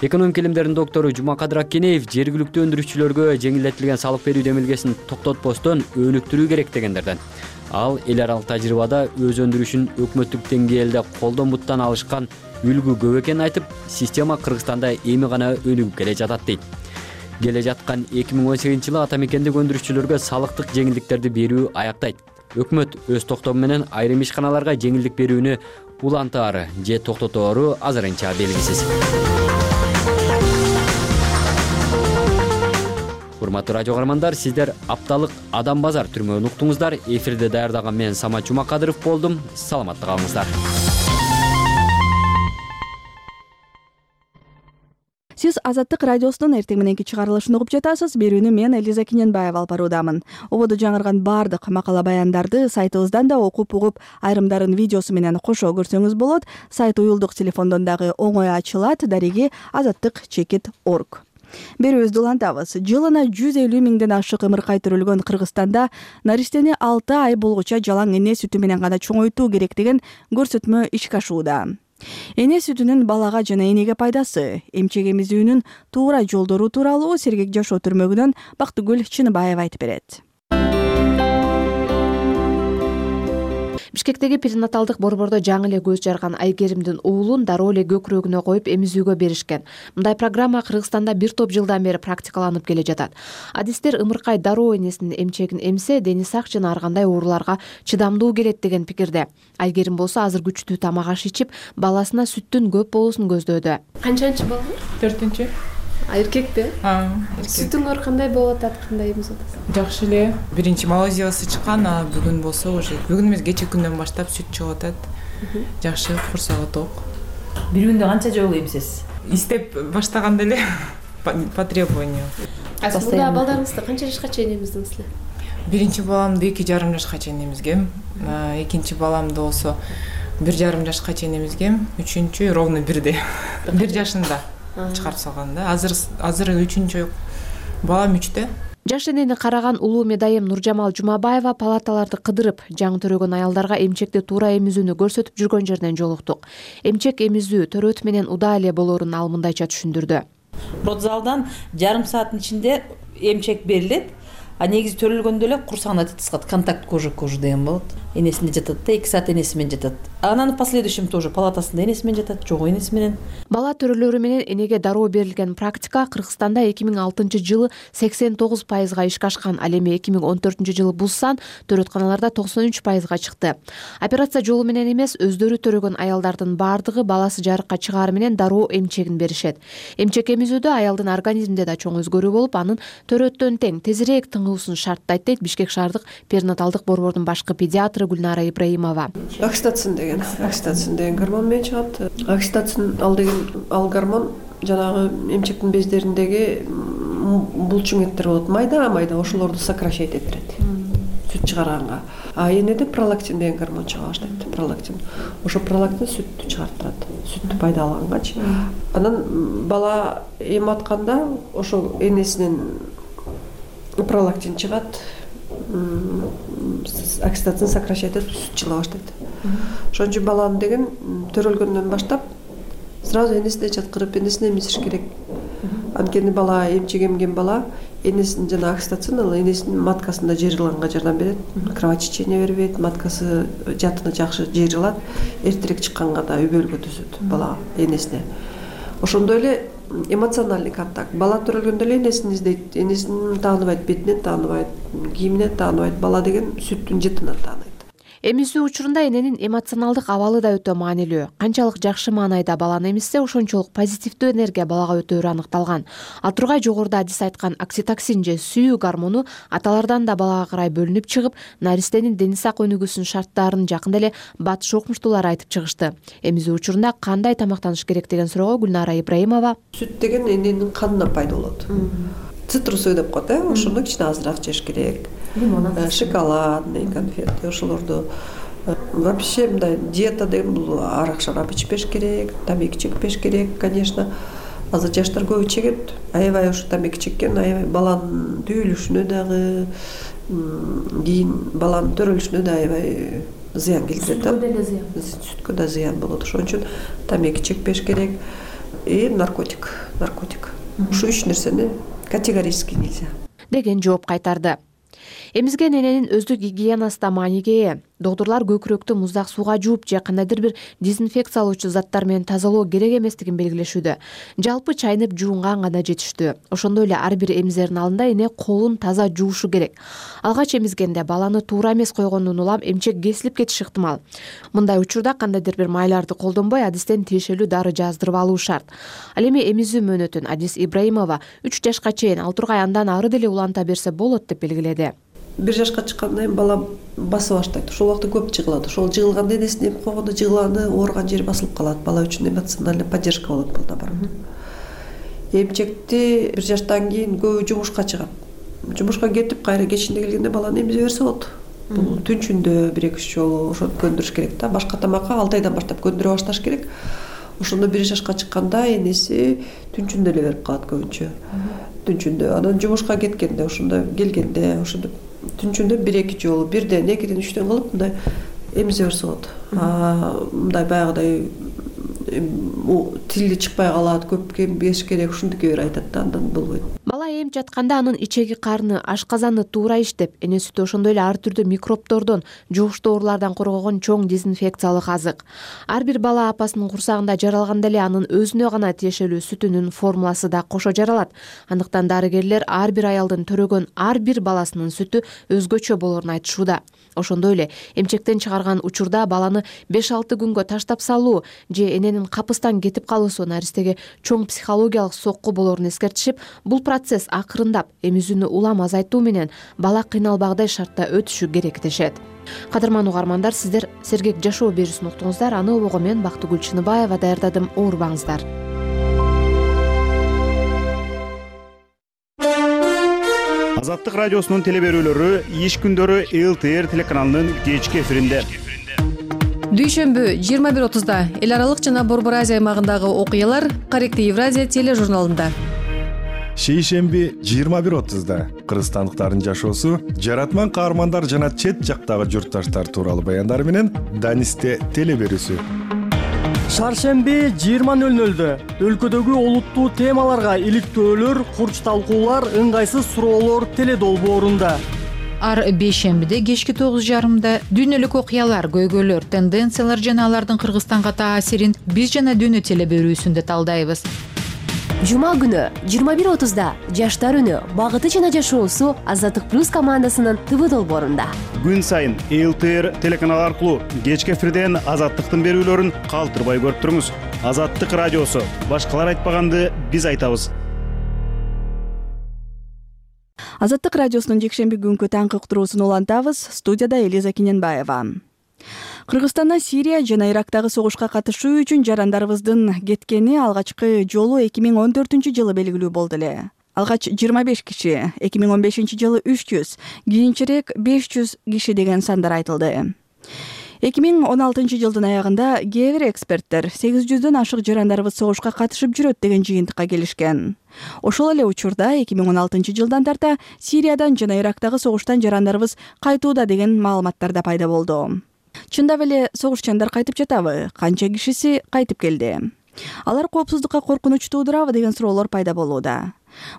Экономика илимдеринин доктору Жумакадыр Аккенеев жергиликтүү өндүрүшчүлөргө жеңилдетилген салык берүү демилгесин токтотпостон өнүктүрүү керек дегендерден. Ал эл аралык тажрыйбада өз өндүрүшүн өкмөттүк деңгээлде колдон буттан алышкан үлгү көп экенин айтып, система Кыргызстанда эми гана өнүгүп келе жатат дейт. Келе жаткан эки миң он сегизинчи жылы ата мекендик өндүрүшчүлөргө салыктык жеңилдиктерди берүү аяктайт. Өкмөт өз токтому менен айрым ишканаларга жеңилдик берүүнү улантаары же токтотору азырынча белгисиз. Урматтуу радио каармандар, сиздер апталык Адам базар түрмөгүн уктуңуздар. Эфирде даярдаган мен Самат Жумакадыров болдум. Саламатта калыңыздар. Сиз Азаттык радиосунун эртең мененки чыгарылышын угуп жатасыз. Берүүнү мен Элиза Киненбаева алып баруудамын. Ободо жаңырган баардык макала баяндарды сайтыбыздан да окуп угуп, айрымдарын видеосу менен кошо көрсөңүз болот. Сайт уюлдук телефондон дагы оңой ачылат. Дареги азаттык чекит орг. Берүүбүздү улантабыз. Жылына жүз элүү миңден ашык ымыркай төрөлгөн Кыргызстанда наристени алты ай болгуча жалаң эне сүтү менен гана чоңойтуу керек деген көрсөтмө ишке ашууда. Эне сүтүнүн балага жана энеге пайдасы, эмчек эмизүүнүн туура жолдору тууралуу Сергек жашоо түрмөгүнөн Бактыгүл Чыныбаева айтып берет. Бишкектеги перинаталдык борбордо жаңы эле көз жарган Айгеримдин уулун дароо эле көкүрөгүнө коюп эмизүүгө беришкен. Мындай программа Кыргызстанда бир топ жылдан бери практикаланып келе жатат. Адистер ымыркай дароо энесинин эмчегин эмсе, дени сак жана ар кандай ооруларга чыдамдуу келет деген пикирде. Айгерим болсо азыр күчтүү тамак аш ичип, баласына сүттүн көп болуусун көздөөдө. Канчанчы бала? төртүнчү. А эркекпи? А, Сүтүңөр кандай болуп атат, кандай эмиз атасыз? Жакшы эле. Биринчи малозиясы чыккан, а бүгүн болсо уже бүгүн эмес, кечээ күндөн баштап сүт чыгып атат. Жакшы, курсагы ток. Бир күндө канча жолу эмсиз? Истеп баштаганда эле по требованию. А сиз мында балдарыңызды канча жашка чейин эмиздиңиз эле? Биринчи баламды эки жарым жашка чейин эмизгем. Экинчи баламды болсо бир жарым жашка чейин эмизгем. Үчүнчү ровно бирде. Бир жашында чыгарып салган да. Азыр азыр үчүнчү балам үчтө. Жаш энени караган улуу медайым Нуржамал Жумабаева палаталарды кыдырып, жаңы төрөгөн аялдарга эмчекти туура эмизүүнү көрсөтүп жүргөн жерден жолуктук. Эмчек эмизүү төрөт менен удаа эле болоорун ал мындайча түшүндүрдү. Родзалдан жарым сааттын ичинде эмчек берилет. А негизи төрөлгөндө эле курсагына тыскат, контакт кожа к коже деген болот. Энесинде жатат да, эки саат энеси менен жатат. Анан в последующем тоже палатасында энеси менен жатат, жок энеси менен. Бала төрөлөрү менен энеге дароо берилген практика Кыргызстанда эки миң алтынчы жылы сексен тогуз пайызга ишке ашкан, ал эми эки миң он төртүнчү жылы бул сан төрөтканаларда токсон үч пайызга чыкты. Операция жолу менен эмес, өздөрү төрөгөн аялдардын баардыгы баласы жарыкка чыгаары менен дароо эмчегин беришет. Эмчек эмизүүдө аялдын организминде да чоң өзгөрүү болуп, анын төрөттөн тең тезирээк тыңуусун шарттайт дейт Бишкек шаардык перинаталдык борбордун башкы педиатры Гүлнара Ибраимова. Окситоцин деген, окситоцин деген гормон менен чыгат. Окситоцин ал деген ал гормон жанагы эмчектин бездериндеги булчуңеттер болот, майда майда, ошолорду сокращать этирет. Сүт чыгарганга. А энеде пролактин деген гормон чыга баштайт. Пролактин. Ошо пролактин сүттү чыгарттырат. Сүттү пайдалангачы. Анан бала эм атканда ошо энесинен пролактин чыгат, окситоцин сокращать этип сүт чыга баштайт. Ошон үчүн баланы деген төрөлгөндөн баштап сразу энесине жаткырып, энесине эмизиш керек. Анткени бала эмчек эмген бала энесинин жана окситоцин ал энесинин маткасында жыйрылганга жардам берет. Кровотечение бербейт, маткасы жатыны жакшы жыйрылат, эртерээк чыкканга да үбөлгө түзөт бала энесине. Ошондой эле эмоциональный контакт. Бала төрөлгөндө эле энесин издейт, энесин тааныбайт, бетинен тааныбайт, кийиминен тааныбайт. Бала деген сүттүн жытынан тааныйт. Эмизүү учурунда эненин эмоционалдык абалы да өтө маанилүү. Канчалык жакшы маанайда баланы эмизсе, ошончолук позитивдүү энергия балага өтөөрү аныкталган. Ал тургай жогоруда адис айткан окситоцин же сүйүү гормону аталардан да балага карай бөлүнүп чыгып, наристенин дени сак өнүгүүсүнүн шарттарын жакында эле батыш окумуштуулар айтып чыгышты. Эмизүү учурунда кандай тамактаныш керек деген суроого Гүлнара Ибраимова: Сүт деген эненин канынан пайда болот. Цитрусовый деп коет, э, ошону кичине азыраак жеш керек. Шоколадный конфеты, ошолорду вообще мындай диета деген бул арак шарап ичпеш керек, тамеки чекпеш керек, конечно. Азыр жаштар көбү чегет. Аябай ошо тамеки чеккен, аябай баланын түйүлүшүнө дагы, кийин баланын төрөлүшүнө да аябай зыян келтирет. Сүткө деле зыян. Сүткө да зыян болот. Ошон үчүн тамеки чекпеш керек. И наркотик, наркотик. Ушу үч нерсени категорически нельзя деген жооп кайтарды. Эмизген эненин өздүк гигиенасы да мааниге ээ. Доктурлар көкүрөктү муздак сууга жууп же кандайдыр бир дезинфекциялоочу заттар менен тазалоо керек эместигин белгилешүүдө. Жалпы чайнып жуунган гана жетиштүү. Ошондой эле ар бир эмизердин алдында эне колун таза жуушу керек. Алгач эмизгенде баланы туура эмес койгондон улам эмчек кесилип кетиши ыктымал. Мындай учурда кандайдыр бир майларды колдонбой адистен тиешелүү дары жаздырып алуу шарт. Ал эми эмизүү мөөнөтүн Адис Ибраимова үч жашка чейин, ал тургай андан ары деле уланта берсе болот деп белгиледи. Бир жашка чыккандан кийин бала басып баштайт. Ошол убакта көп жыгылат. Ошол жыгылганда энесине эм койгондо жыгылганы ооруган жери басылып калат. Бала үчүн эмоциональный поддержка болот бул да бар. эмчекти бир жаштан кийин көбү жумушка чыгат. Жумушка кетип кайра кечинде келгенде баланы эмизе берсе болот. Бул түнчүндө бир эки үч жолу ошону көндүрүш керек да. Башка тамакка алты айдан баштап көндүрө башташ керек. Ошондо бир жашка чыкканда энеси түнчүндө эле берип калат көбүнчө. Түнчүндө анан жумушка кеткенде ошондо келгенде ошондо түнчүндө бир эки жолу бирден экиден үчтөн кылып мындай эмизе берсе болот. Мындай баягыдай тили чыкпай калат, көп кембеш керек, ушундуке бир айтат да, андан болбойт. Бала эмип жатканда анын ичеги карны, ашказаны туура иштеп, эне сүтү ошондой эле ар түрдүү микробтордон, жугуштуу оорулардан коргогон чоң дезинфекциялык азык. Ар бир бала апасынын курсагында жаралганда эле анын өзүнө гана тиешелүү сүтүнүн формуласы да кошо жаралат. Андыктан дарыгерлер ар бир аялдын төрөгөн ар бир баласынын сүтү өзгөчө болоорун айтышууда. Ошондой эле эмчектен чыгарган учурда баланы беш алты күнгө таштап салуу же эненин капыстан кетип калуусу наристеге чоң психологиялык сокку болоорун эскертишип, бул процесс акырындап эмизүүнү улам азайтуу менен бала кыйналбагдай шартта өтүшү керек дешет. Кадырман угармандар, сиздер Сергек жашоо берүүсүн уктуңуздар. Аны обого мен Бактыгүл Чыныбаева даярдадым. Оорубаңыздар. Азаттык радиосунун телеберүүлөрү иш күндөрү эл тэ эр телеканалынын кечки эфиринде. Дүйшөмбү жыйырма бир отузда эл аралык жана Борбор Азия аймагындагы окуялар Корректив Евразия тележурналында. Шейшемби жыйырма бир отузда кыргызстандыктардын жашоосу, жаратман каармандар жана чет жактагы журтташтар тууралуу баяндар менен Данисте телеберүүсү. Шаршемби жыйырма нөл нөлдө өлкөдөгү олуттуу темаларга иликтөөлөр, курч талкуулар, ыңгайсыз суроолор теледолбоорунда. Ар бейшембиде кечки тогуз жарымда дүйнөлүк окуялар, көйгөйлөр, тенденциялар жана алардын Кыргызстанга таасирин биз жана дүйнө телеберүүсүндө талдайбыз. Жума күнү жыйырма бир отузда жаштар үнү, багыты жана жашоосу Азаттык плюс командасынын тэ вэ долбоорунда. Күн сайын эл тэ эр телеканалы аркылуу кечки эфирден Азаттыктын берүүлөрүн калтырбай көрүп туруңуз. Азаттык радиосу, башкалар айтпаганды биз айтабыз. Азаттык радиосунун жекшемби күнкү таңкы уктуруусун улантабыз. Студияда Элиза Кененбаева. Кыргызстандан Сирия жана Ирактагы согушка катышуу үчүн жарандарыбыздын кеткени алгачкы жолу эки миң он төртүнчү жылы белгилүү болду эле. Алгач жыйырма беш киши, эки миң он бешинчи жылы үч жүз, кийинчерээк беш жүз киши деген сандар айтылды. эки миң он алтынчы жылдын аягында кээ бир эксперттер сегиз жүздөн ашык жарандарыбыз согушка катышып жүрөт деген жыйынтыкка келишкен. Ошол эле учурда эки миң он алтынчы жылдан тарта Сириядан жана Ирактагы согуштан жарандарыбыз кайтууда деген маалыматтар да пайда болду. Чындап эле согушчандар кайтып жатабы? Канча кишиси кайтып келди? Алар коопсуздукка коркунуч туудурабы деген суроолор пайда болууда.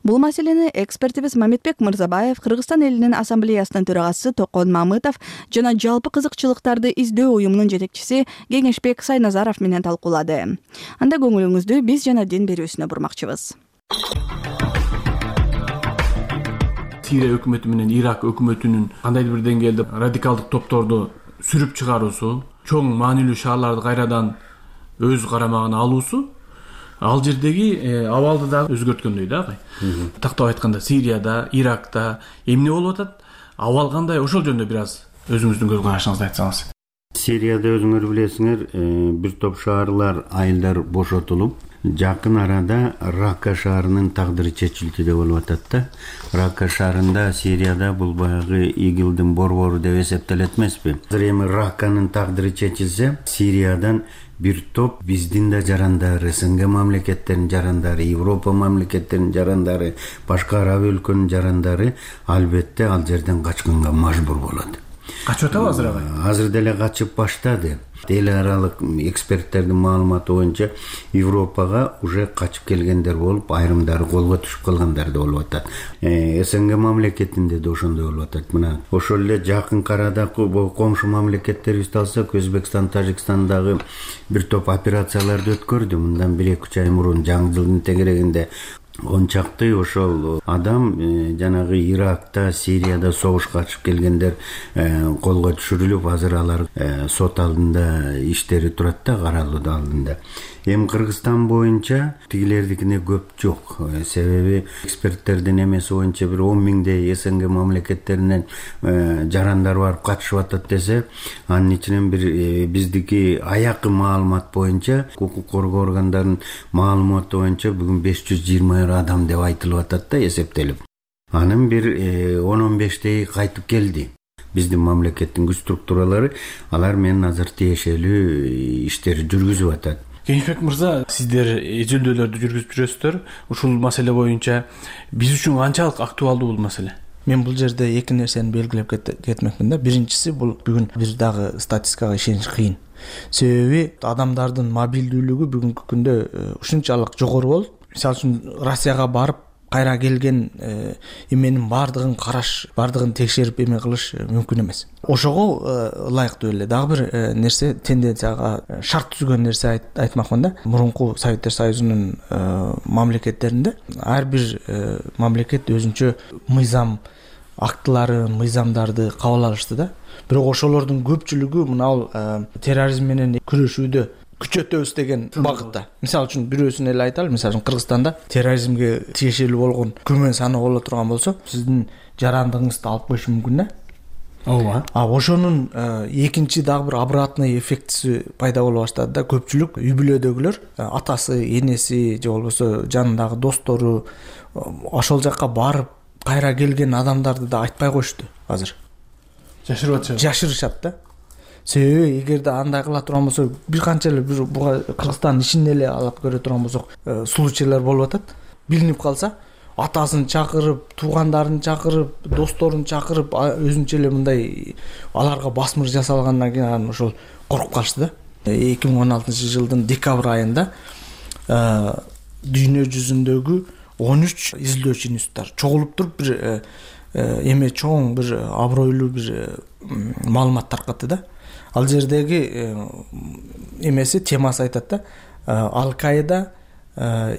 Бул маселени экспертибиз Мамедбек Мырзабаев, Кыргызстан элинин ассамблеясынын төрагасы Токон Мамытов жана жалпы кызыкчылыктарды издөө уюмунун жетекчиси Кеңешбек Сайназаров менен талкуулады. Анда көңүлүңүздү биз жана дин берүүсүнө бурмакчыбыз. Сирия өкмөтү менен Ирак өкмөтүнүн кандайдыр бир деңгээлде радикалдык топторду сүрүп чыгаруусу, чоң маанилүү шаарларды кайрадан өз карамагына алуусу ал жердеги абалды да өзгөрткөндөй да. Тактап айтканда Сирияда, Иракта эмне болуп атат? Абал кандай? Ошол жөнүндө бир аз өзүңүздүн көз карашыңызды айтсаңыз. Сирияда өзүңөр билесиңер, бир топ шаарлар айылдар бошотулуп, жакын арада Ракка шаарынын тагдыры чечилтүүдө болуп атат да. Ракка шаарында Сирияда бул баягы игилдин борбору деп эсептелет эмеспи? Азыр эми Ракканын тагдыры чечилсе, Сириядан бир топ биздин да жарандары, эс эн гэ мамлекеттеринин жарандары, Европа мамлекеттеринин жарандары, башка араб өлкөнүн жарандары албетте ал жерден качканга мажбур болот. Качып атабы азыр агай? Азыр деле качып баштады. Эл аралык эксперттердин маалыматы боюнча Европага уже качып келгендер болуп, айрымдары колго түшүп калгандар да болуп атат. эс эн гэ мамлекетинде да ошондой болуп атат. Мына ошол эле жакын арадагы комшу мамлекеттерибизди алсак, Өзбекстан, Тажикстандагы бир топ операцияларды өткөрдү. Мындан бир эки үч ай мурун жаңы жылдын тегерегинде он чакты ошол адам жанагы Иракта, Сирияда согушка катышып келгендер колго түшүрүлүп, азыр алар сот алдында иштери турат да, каралуу алдында. Эми Кыргызстан боюнча тигилердикине көп жок. Себеби эксперттердин эмеси боюнча бир он миңдей эс эн гэ мамлекеттеринен жарандар барып катышып атат десе, анын ичинен бир биздики аякы маалымат боюнча, укук коргоо органдарынын маалыматы боюнча бүгүн беш жүз жыйырма миллионер адам деп айтылып атат да эсептелип. Анын бир он он бештеги кайтып келди. Биздин мамлекеттин күч структуралары алар менен азыр тиешелүү иштерди жүргүзүп атат. Кенжебек мырза, сиздер изилдөөлөрдү жүргүзүп жүрөсүздөр. Ушул маселе боюнча биз үчүн канчалык актуалдуу бул маселе? Мен бул жерде эки нерсени белгилеп кетмекмин да. Биринчиси, бул бүгүн бир дагы статистикага ишениш кыйын. Себеби адамдардын мобилдүүлүгү бүгүнкү күндө ушунчалык жогору болуп, мисалы үчүн Россияга барып кайра келген эменин баардыгын караш, баардыгын текшерип эме кылыш мүмкүн эмес. Ошого ылайыктуу эле дагы бир нерсе, тенденцияга шарт түзгөн нерсе айтмакмын да. Мурунку Советтер Союзунун мамлекеттеринде ар бир мамлекет өзүнчө мыйзам актылары, мыйзамдарды кабыл алышты да. Бирок ошолордун көпчүлүгү мына терроризм менен күрөшүүдө күчөтөбүз деген багытта. Мисалы үчүн бирөөсүн эле айталы. Мисалы үчүн Кыргызстанда терроризмге тиешелүү болгон күмөн саны боло турган болсо, сиздин жарандыгыңызды алып коюшу мүмкүн да. Ооба. А ошонун экинчи дагы бир обратный эффектиси пайда боло баштады да. Көпчүлүк үй бүлөдөгүлөр, атасы, энеси же болбосо жанындагы достору ошол жакка барып кайра келген адамдарды да айтпай коюшту азыр. Жашырып атышат. Жашырышат да. Себеби эгерде андай кыла турган болсо, бир канча эле бир буга Кыргызстандын ичинде эле алып көрө турган болсок, случайлар болуп атат. Билинип калса, атасын чакырып, туугандарын чакырып, досторун чакырып, өзүнчө эле мындай аларга басмыр жасалгандан кийин анан ошол коркуп калышты да. эки миң он алтынчы жылдын декабрь айында дүйнө жүзүндөгү он үч изилдөөчү институттар чогулуп туруп бир эме чоң бир абройлуу бир маалымат таркатты да. Ал жердеги эмеси, темасы айтат да, Ал-Каида,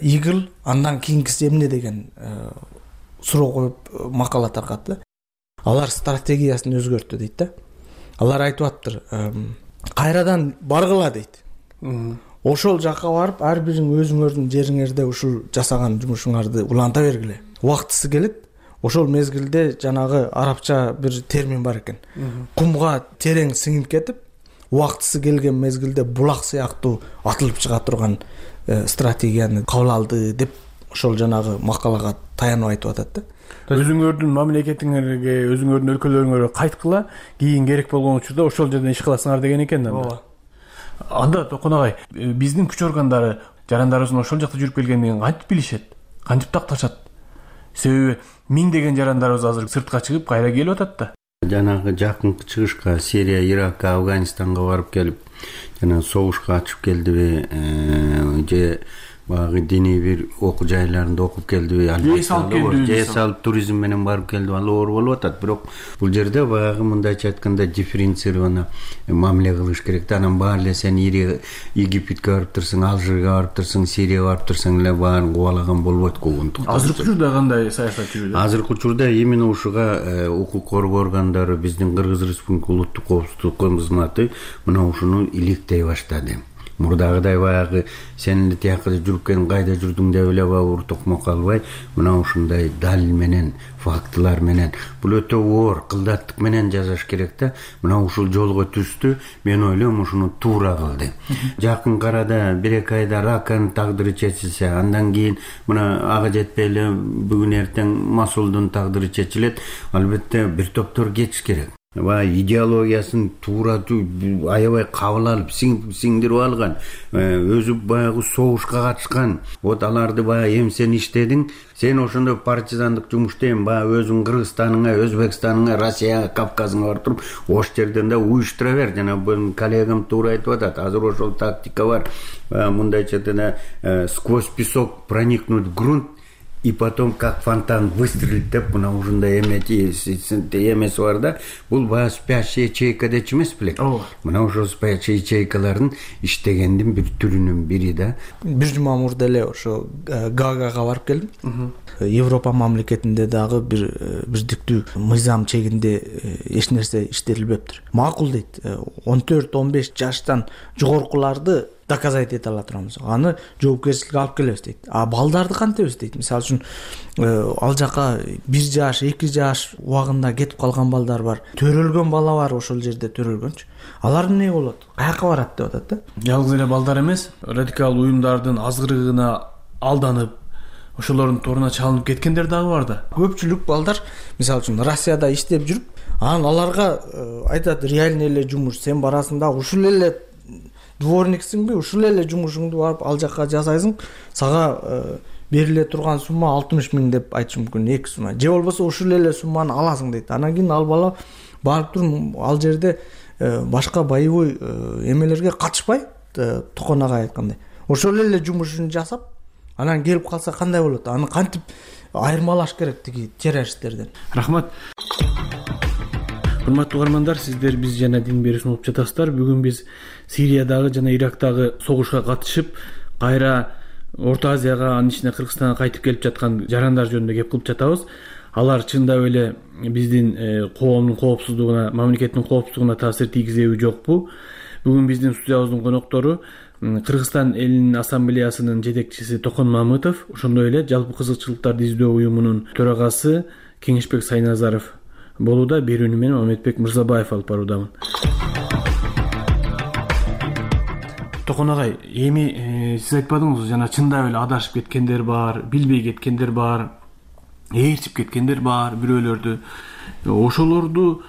Игл, андан кийинкиси эмне деген суроо коюп макала таркатты. Алар стратегиясын өзгөрттү дейт да. Алар айтып аттыр, кайрадан баргыла дейт. Ошол жакка барып, ар бириң өзүңөрдүн жериңерде ушул жасаган жумушуңарды уланта бергиле. Убактысы келет. Ошол мезгилде жанагы арабча бир термин бар экен. Кумга терең сиңип кетип, убактысы келген мезгилде булак сыяктуу атылып чыга турган стратегияны кабыл алды деп ошол жанагы макалага таянып айтып атат да. Өзүңөрдүн мамлекетиңерге, өзүңөрдүн өлкөлөрүңөргө кайткыла, кийин керек болгон учурда ошол жерден иш кыласыңар деген экен да. Ооба. Анда Токон агай, биздин күч органдары жарандарыбыздын ошол жакта жүрүп келгендигин кантип билишет? Кантип такташат? Себеби миңдеген жарандарыбыз азыр сыртка чыгып кайра келип атат да. Жанагы жакынкы чыгышка, Сирия, Иракка, Афганистанга барып келип, жана согушка ачып келдиби, же багы диний бир окуу жайларында окуп келдиби, же салып туризм менен барып келдиби, ал оор болуп атат. Бирок бул жерде багы мындайча айтканда дифференцированно мамиле кылыш керек да. Анан баары эле сен Египетке барып турсаң, Алжирге барып турсаң, Сирияга барып турсаң эле баарын кубалаган болбойт куугунтук. Азыркы учурда кандай саясат жүрүүдө? Азыркы учурда именно ушуга укук коргоо органдары, биздин Кыргыз Республика улуттук коопсуздук кызматы мына ушуну иликтей баштады. Мурдагыдай баягы сен тиякка жүрүп келип кайда жүрдүң деп эле бабур токмо калбай, мына ушундай далил менен, фактылар менен, бул өтө оор кылдаттык менен жазаш керек да. Мына ушул жолго түстү, мен ойлойм ушуну туура кылды. Жакын арада бир эки айда Раканын тагдыры чечилсе, андан кийин мына ага жетпей эле бүгүн эртең Масулдун тагдыры чечилет. Албетте бир топтор кетиш керек. Баягы идеологиясын туура аябай кабыл алып, сиңдирип алган, өзү баягы согушка катышкан, вот аларды баягы эми сен иштедиң, сен ошондой партизандык жумуштайм, баягы өзүң Кыргызстаныңа, Өзбекстаныңа, Россияга, Кавказыңа барып туруп, ош жерден да уюштура бер. Жана бул коллегам туура айтып атат, азыр ошол тактика бар. Мындайча айтканда, сквозь песок проникнуть в грунт, и потом как фонтан выстрелить деп мына ушундай эмети эмеси бар да. Бул баягы спящая ячейка дечи эмес беле? Мына ошол спящая ячейкалардын иштегендин бир түрүнүн бири да. Бир жума мурда эле ошо Гаагага барып келдим. Европа мамлекетинде дагы бир бирдиктүү мыйзам чегинде эч нерсе иштелбептир. Макул дейт. он төрт он беш жаштан жогоркуларды доказать эте ала турабыз. Аны жоопкерчиликке алып келебиз дейт. А балдарды кантебиз дейт. Мисалы үчүн ал жака бир жаш, эки жаш убагында кетип калган балдар бар. Төрөлгөн бала бар ошол жерде төрөлгөнчү. Алар эмне болот? Каяка барат деп атат да. Жалгыз эле балдар эмес, радикал уюмдардын азгырыгына алданып, ошолордун торуна чалынып кеткендер дагы бар да. Көпчүлүк балдар мисалы үчүн Россияда иштеп жүрүп, анан аларга айтат реальный эле жумуш, сен барасың да ушул эле дворниксиңби, ушул эле жумушуңду барып ал жака жасайсың, сага бериле турган сумма алтымыш миң деп айтышы мүмкүн, эки сумма. Же болбосо ушул эле сумманы аласың дейт. Анан кийин ал бала барып туруп ал жерде башка боевой эмелерге катышпай, токонагай айткандай, ошол эле жумушун жасап, анан келип калса кандай болот? Аны кантип айырмалаш керек тиги террористтерден? Рахмат. Урматтуу угармандар, сиздер Биз жана дин берүүсүн угуп жатасыздар. Бүгүн биз Сириядагы жана Ирактагы согушка катышып, кайра Орто Азияга, анын ичине Кыргызстанга кайтып келип жаткан жарандар жөнүндө кеп кылып жатабыз. Алар чындап эле биздин коомдун коопсуздугуна, мамлекеттин коопсуздугуна таасир тийгизеби жокпу? Бүгүн биздин студиябыздын коноктору Кыргызстан элинин ассамблеясынын жетекчиси Токон Мамытов, ошондой эле Жалпы кызыкчылыктарды издөө уюмунун төрагасы Кеңешбек Сайназаров болууда. Берүүнү мен Мамедбек Мырзабаев алып баруудамын. Токон агай, эми сиз айтпадыңызбы, жана чындап эле адашып кеткендер бар, билбей кеткендер бар, ээрчип кеткендер бар бирөөлөрдү. Ошолорду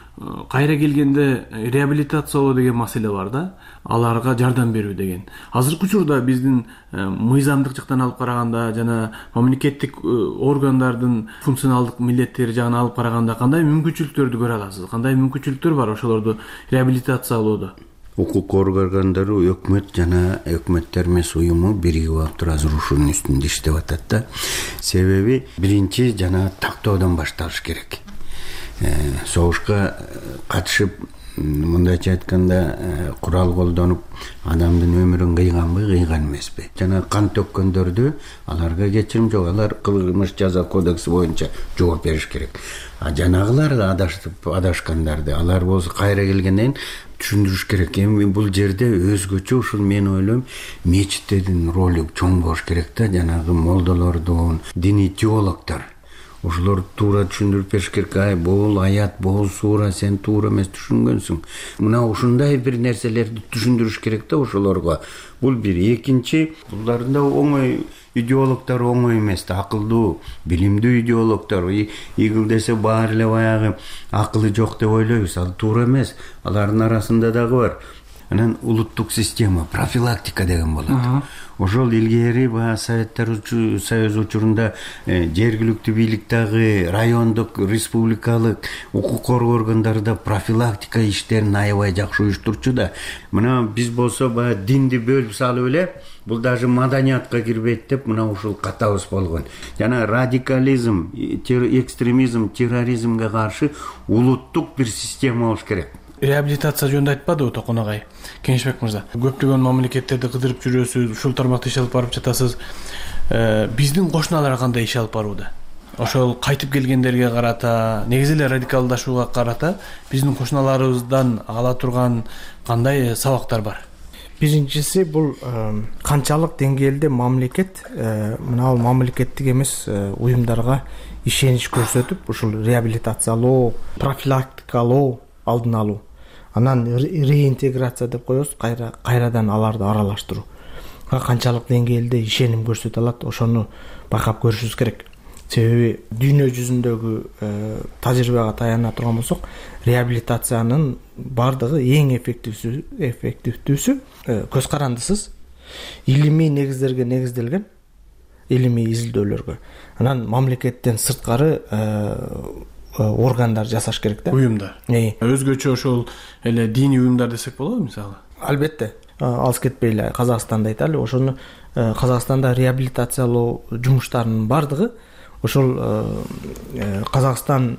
кайра келгенде реабилитациялоо деген маселе бар да, аларга жардам берүү деген. Азыркы учурда биздин мыйзамдык жактан алып караганда жана мамлекеттик органдардын функционалдык милдеттери жагынан алып караганда кандай мүмкүнчүлүктөрдү көрө аласыз? Кандай мүмкүнчүлүктөр бар ошолорду реабилитациялоодо? Укук органдары, өкмөт жана өкмөттөр эмес уюму биригип алып туруп азыр ушунун үстүндө иштеп атат да. Себеби биринчи жана тактоодон башталыш керек. Согушка катышып, мындайча айтканда, курал колдонуп адамдын өмүрүн кыйганбы, кыйган эмеспи? Жана кан төккөндөрдү аларга кечирим жок, алар кылмыш жаза кодекси боюнча жооп бериш керек. А жанагылар да адашып адашкандарды алар болсо кайра келгенден түшүндүрүш керек. Эми бул жерде өзгөчө ушул мен ойлойм, мечиттердин ролу чоң болуш керек да, жанагы молдолордун, диний теологдор. Ошолор туура түшүндүрүп бериш керек. Ай, бул аят, бул суура сен туура эмес түшүнгөнсүң. Мына ушундай бир нерселерди түшүндүрүш керек да ошолорго. Бул бир. Экинчи, булардын да оңой идеологдор оңой эмес да, акылдуу, билимдүү идеологдор. Игил десе баары эле баягы акылы жок деп ойлойбуз. Ал туура эмес. Алардын арасында дагы бар. Анан улуттук система, профилактика деген болот. Ошол илгери баягы Советтер Союзу учурунда жергиликтүү бийликтеги, райондук, республикалык укук коргоо органдарында профилактика иштерин аябай жакшы уюштурчу да. Мына биз болсо баягы динди бөлүп салып эле, бул даже маданиятка кирбейт деп мына ушул катабыз болгон. Жана радикализм, экстремизм, терроризмге каршы улуттук бир система болуш керек. Реабилитация жөнүндө айтпадыбы Токон агай? Кеңешбек мырза, көптөгөн мамлекеттерди кыдырып жүрөсүз, ушул тармакта иш алып барып жатасыз. Биздин кошуналар кандай иш алып барууда? Ошол кайтып келгендерге карата, негизи эле радикалдашууга карата биздин кошуналарыбыздан ала турган кандай сабактар бар? Биринчиси бул канчалык деңгээлде мамлекет мына бул мамлекеттик эмес уюмдарга ишенич көрсөтүп, ушул реабилитациялоо, профилактикалоо, алдын алуу, анан реинтеграция деп коебуз, кайра кайрадан аларды аралаштыруу. Канчалык деңгээлде ишеним көрсөтө алат, ошону байкап көрүшүбүз керек. Себеби дүйнө жүзүндөгү тажрыйбага таяна турган болсок, реабилитациянын бардыгы эң эффективсү, эффективдүүсү көз карандысыз, илимий негиздерге негизделген, илимий изилдөөлөргө. Анан мамлекеттен сырткары органдар жасаш керек да. Уюмдар. Өзгөчө ошол эле диний уюмдар десек болобу мисалы? Албетте. Алыс кетпей эле Казакстанда айталы, ошону Казакстанда реабилитациялоо жумуштарынын бардыгы ошол Казакстан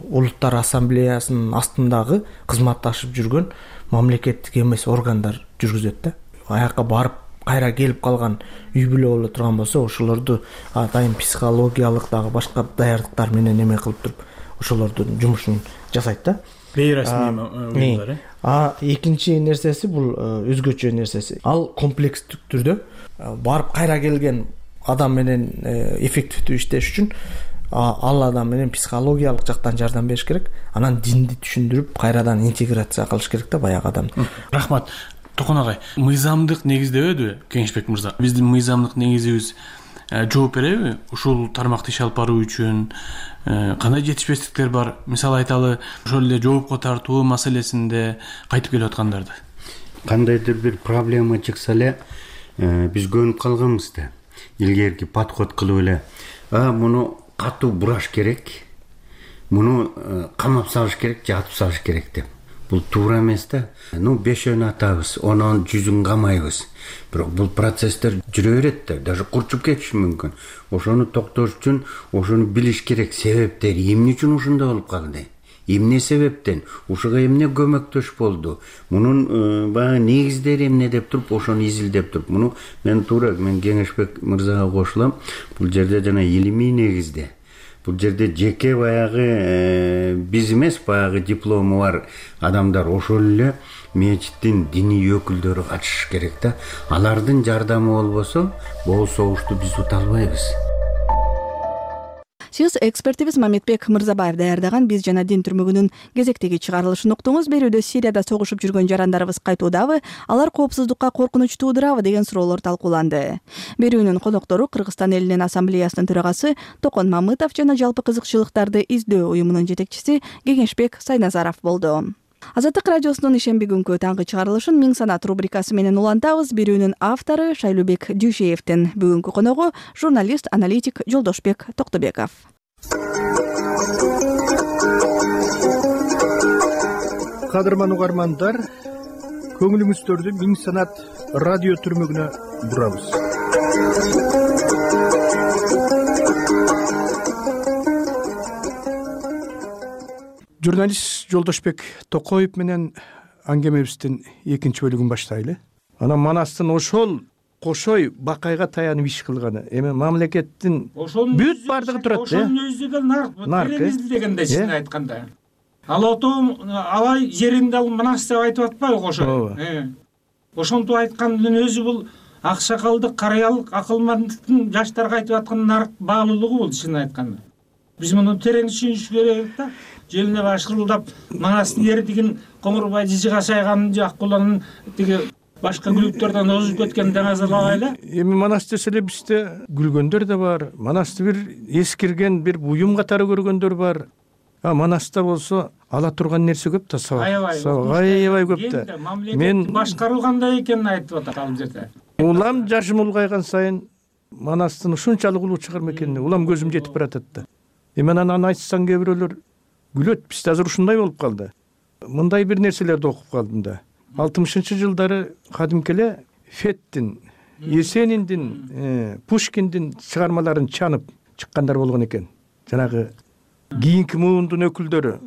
улуттар ассамблеясынын астындагы кызматташып жүргөн мамлекеттик эмес органдар жүргүзөт да. Аяка барып кайра келип калган үй бүлө боло турган болсо, ошолорду атайын психологиялык дагы башка даярдыктар менен эме кылып туруп ошолордун жумушун жасайт да. Бейрасмий уюмдар. А экинчи нерсеси бул өзгөчө нерсеси. Ал комплекстик түрдө барып кайра келген адам менен эффективдүү иштеш үчүн ал адам менен психологиялык жактан жардам бериш керек. Анан динди түшүндүрүп, кайрадан интеграция кылыш керек да баягы адамды. Рахмат. Токон агай, мыйзамдык негиздебедиби Кеңешбек мырза? Биздин мыйзамдык негизибиз жооп береби ушул тармакты иш алып баруу үчүн кандай жетишпестиктер бар? Мисалы айталы ошол эле жоопко тартуу маселесинде кайтып келип аткандарды. Кандайдыр бир проблема чыкса эле биз көнүп калганбыз да. Илгерки подход кылып эле а муну катуу бураш керек, муну камап салыш керек же атып салыш керек деп. Бул туура эмес да. Ну бешөөнү атабыз, онун жүзүн камайбыз. Бирок бул процесстер жүрө берет да, даже курчуп кетиши мүмкүн. Ошону токтош үчүн ошону билиш керек, себептери эмне үчүн ушундай болуп калды? Эмне себептен? Ушуга эмне көмөктөш болду? Мунун баягы негиздери эмне деп туруп, ошону изилдеп туруп, муну мен туура мен Кеңешбек мырзага кошулам. Бул жерде жана илимий негизде. Бул жерде жеке баягы биз эмес, баягы диплому бар адамдар ошол эле мечиттин диний өкүлдөрү катышыш керек да. Алардын жардамы болбосо, бул согушту биз ута албайбыз. Сиз экспертибиз Мамедбек Мырзабаев даярдаган «Биз жана дин» түрмөгүнүн кезектеги чыгарылышын уктуңуз. Берүүдө Сирияда согушуп жүргөн жарандарыбыз кайтуудабы, алар коопсуздукка коркунуч туудурабы деген суроолор талкууланды. Берүүнүн коноктору Кыргызстан элинин ассамблеясынын төрагасы Токон Мамытов жана жалпы кызыкчылыктарды издөө уюмунун жетекчиси Кеңешбек Сайназаров болду. Азаттык радиосунун ишемби күнкү таңкы чыгарылышын Миң санат рубрикасы менен улантабыз. Берүүнүн автору Шайлубек Дүйшеевдин, бүгүнкү коногу журналист, аналитик Жолдошбек Токтобеков. Кадырман угармандар, көңүлүңүздөрдү Миң санат радио түрмөгүнө бурабыз. Журналист Жолдошбек Токоев менен аңгемебиздин экинчи бөлүгүн баштайлы. Анан Манастын ошол кошой бакайга таянып иш кылганы, эми мамлекеттин бүт бардыгы турат. Ошонун өзү да нарк, тереңизди дегенде чын айтканда. Ал отом алай жеринде ал Манас деп айтып атпайбы кошой? Ошонтип айткандын өзү бул аксакалдык, карыялык, акылмандыктын жаштарга айтып аткан нарк баалуулугу бул чын айтканда. Биз муну терең түшүнүш керек да. Желине башкырылдап Манастын ери деген Коңурбай Жижига сайганын же Аккуланын тиги башка күлүктөрдөн озуп кеткен деңазалабайлы. Эми Манас десе эле бизде күлгөндөр да бар. Манасты бир эскирген бир буюм катары көргөндөр бар. А Манаста болсо ала турган нерсе көп да, сабак. Аябай көп да. Мен башкарылгандай экенин айтып атат ал жерде. Улам жашым улгайган сайын Манастын ушунчалык улуу чыгарма экенин улам көзүм жетип баратат да. Эми анан айтсаң кээ бирөөлөр күлөт. Бизде азыр ушундай болуп калды. Мындай бир нерселерди окуп калдым да. алтымышынчы жылдары кадимки эле Феттин, Есениндин, Пушкиндин чыгармаларын чанып чыккандар болгон экен. Жанагы кийинки муундун өкүлдөрү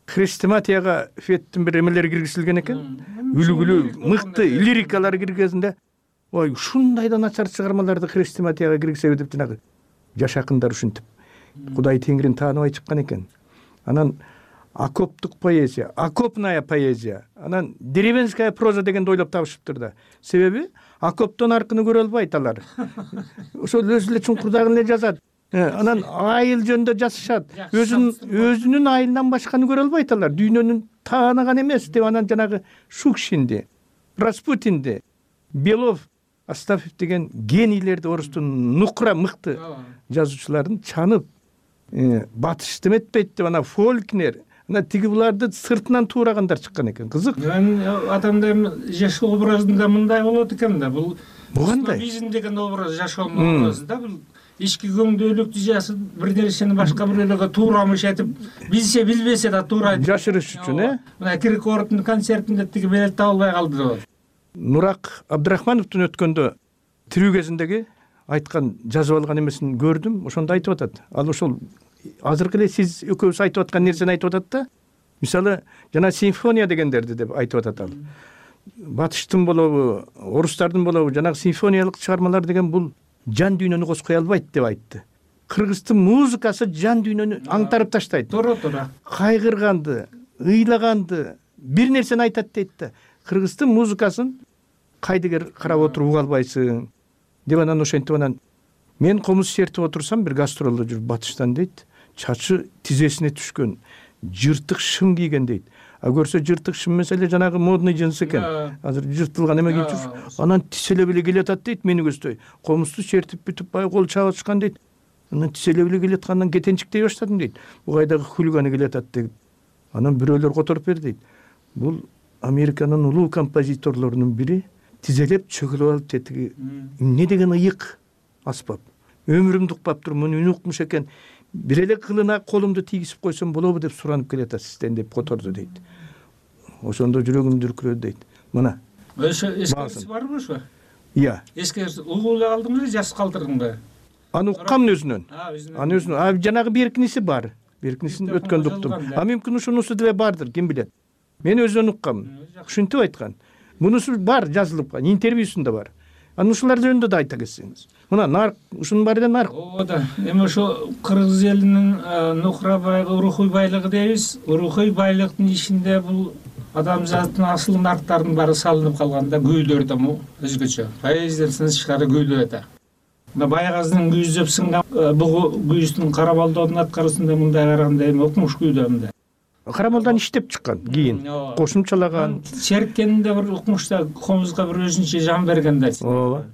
хрестоматияга Феттин бир эмелери киргизилген экен. Үлгүлүү, мыкты лирикалар киргизгенде, ой, ушундай да начар чыгармаларды хрестоматияга киргизеби деп жанагы жаш акындар ушинтип Кудай Теңирин тааныбай чыккан экен. Анан окоптук поэзия, окопная поэзия, анан деревенская проза дегенди ойлоп табышыптыр да. Себеби окоптон аркыны көрө албайт алар. Ошол өзү эле чуңкурдагын эле жазат. Анан айыл жөнүндө жазышат. Өзүнүн өзүнүн айылынан башканы көрө албайт алар. Дүйнөнүн тааныган эмес деп анан жанагы Шукшинди, Распутинди, Белов, Астафьев деген генийлерди, орустун нукра мыкты жазуучуларын чанып батыш деметпейт деп ана Фолкнер, ана тиги буларды сыртынан туураганда чыккан экен. Кызык. Мен атамда жашоо образында мындай болот экен да. Бул кандай? Бизнес деген образ жашоонун образы да. Бул ички көңдөлүк жашып бир нерсени башка бирөөлөргө туурамыш этип, билсе билбесе да туура жашырыш үчүн, э? Мына Киркоровдун концертинде тиги билет табылбай калды деп. Нурак Абдрахмановдун өткөндө тирүү кезиндеги айткан, жазып алган эмесин көрдүм. Ошондо айтып атат. Ал ошол азыркы эле сиз экөөбүз айтып аткан нерсени айтып атат да. Мисалы, жана симфония дегендерди деп айтып атат ал. Батыштын болобу, орустардын болобу, жанагы симфониялык чыгармалар деген бул жан дүйнөнү козгой албайт деп айтты. Кыргыздын музыкасы жан дүйнөнү аңтарып таштайт. Туура, туура. Кайгырганды, ыйлаганды, бир нерсени айтат дейт да. Кыргыздын музыкасын кайдыгер карап отуруп уга албайсың деп анан ошентип анан мен комуз чертип отурсам бир гастролдо жүрүп Батыштан дейт, чачы тизесине түшкөн, жыртык шым кийген дейт. а көрсө жыртык шын маселе жанагы модный джинс экен, азыр жыртылган эме кийип жүр, анан тиселеп эле келатат дейт мени көздөй, комузду чертип бүтүп бай кол чабышкан дейт, анан тиселеп эле келаткандан кетенчиктей баштадым дейт, бул кайдагы хулиганы келатат дейт. Анан бирөөлөр которуп берди дейт, бул Американын улуу композиторлорунун бири тизелеп чөгүлүп алып тетиги эмне деген ыйык аспап, өмүрүмдү укпап туруп муну үн укмуш экен, бир эле кылына колумду тийгизип койсом болобу деп суранып келатат сизден деп которду дейт. Ошондо жүрөгүм дүркүрөдү дейт. Мына ошо эскерси барбы ошо? Iya. Эскерси угуп эле калдыңбы, жас калтырдыңбы? Аны уккам өзүнөн. Аны өзүнөн. А жанагы беркиниси бар. Беркинисин өткөндү уктум. А мүмкүн ушунусу деле бардыр, ким билет. Мен өзүнөн уккам. Ушинтип айткан. Мунусу бар, жазылып калган, интервьюсунда бар. Аны ушулар жөнүндө да айта кетсеңиз. Мына нарк, ушунун баары да нарк. Ооба да. Эми ошо кыргыз элинин нухра байгы, рухуй байлыгы дейбиз. Рухуй байлыктын ичинде бул адамзаттын асыл нарктарынын баары салынып калган да, күүлөр да өзгөчө. Поэзиядан тышкары күүлөр да. Мына Байгаздын күүздөп сынган бугу күүздүн кара балдоодун аткаруусунда мындай караганда эми окумуш күүдө мындай. Кара балдан иштеп чыккан, кийин кошумчалаган. Серкенде бир окумушта комузга бир өзүнчө жан берген да. Ооба.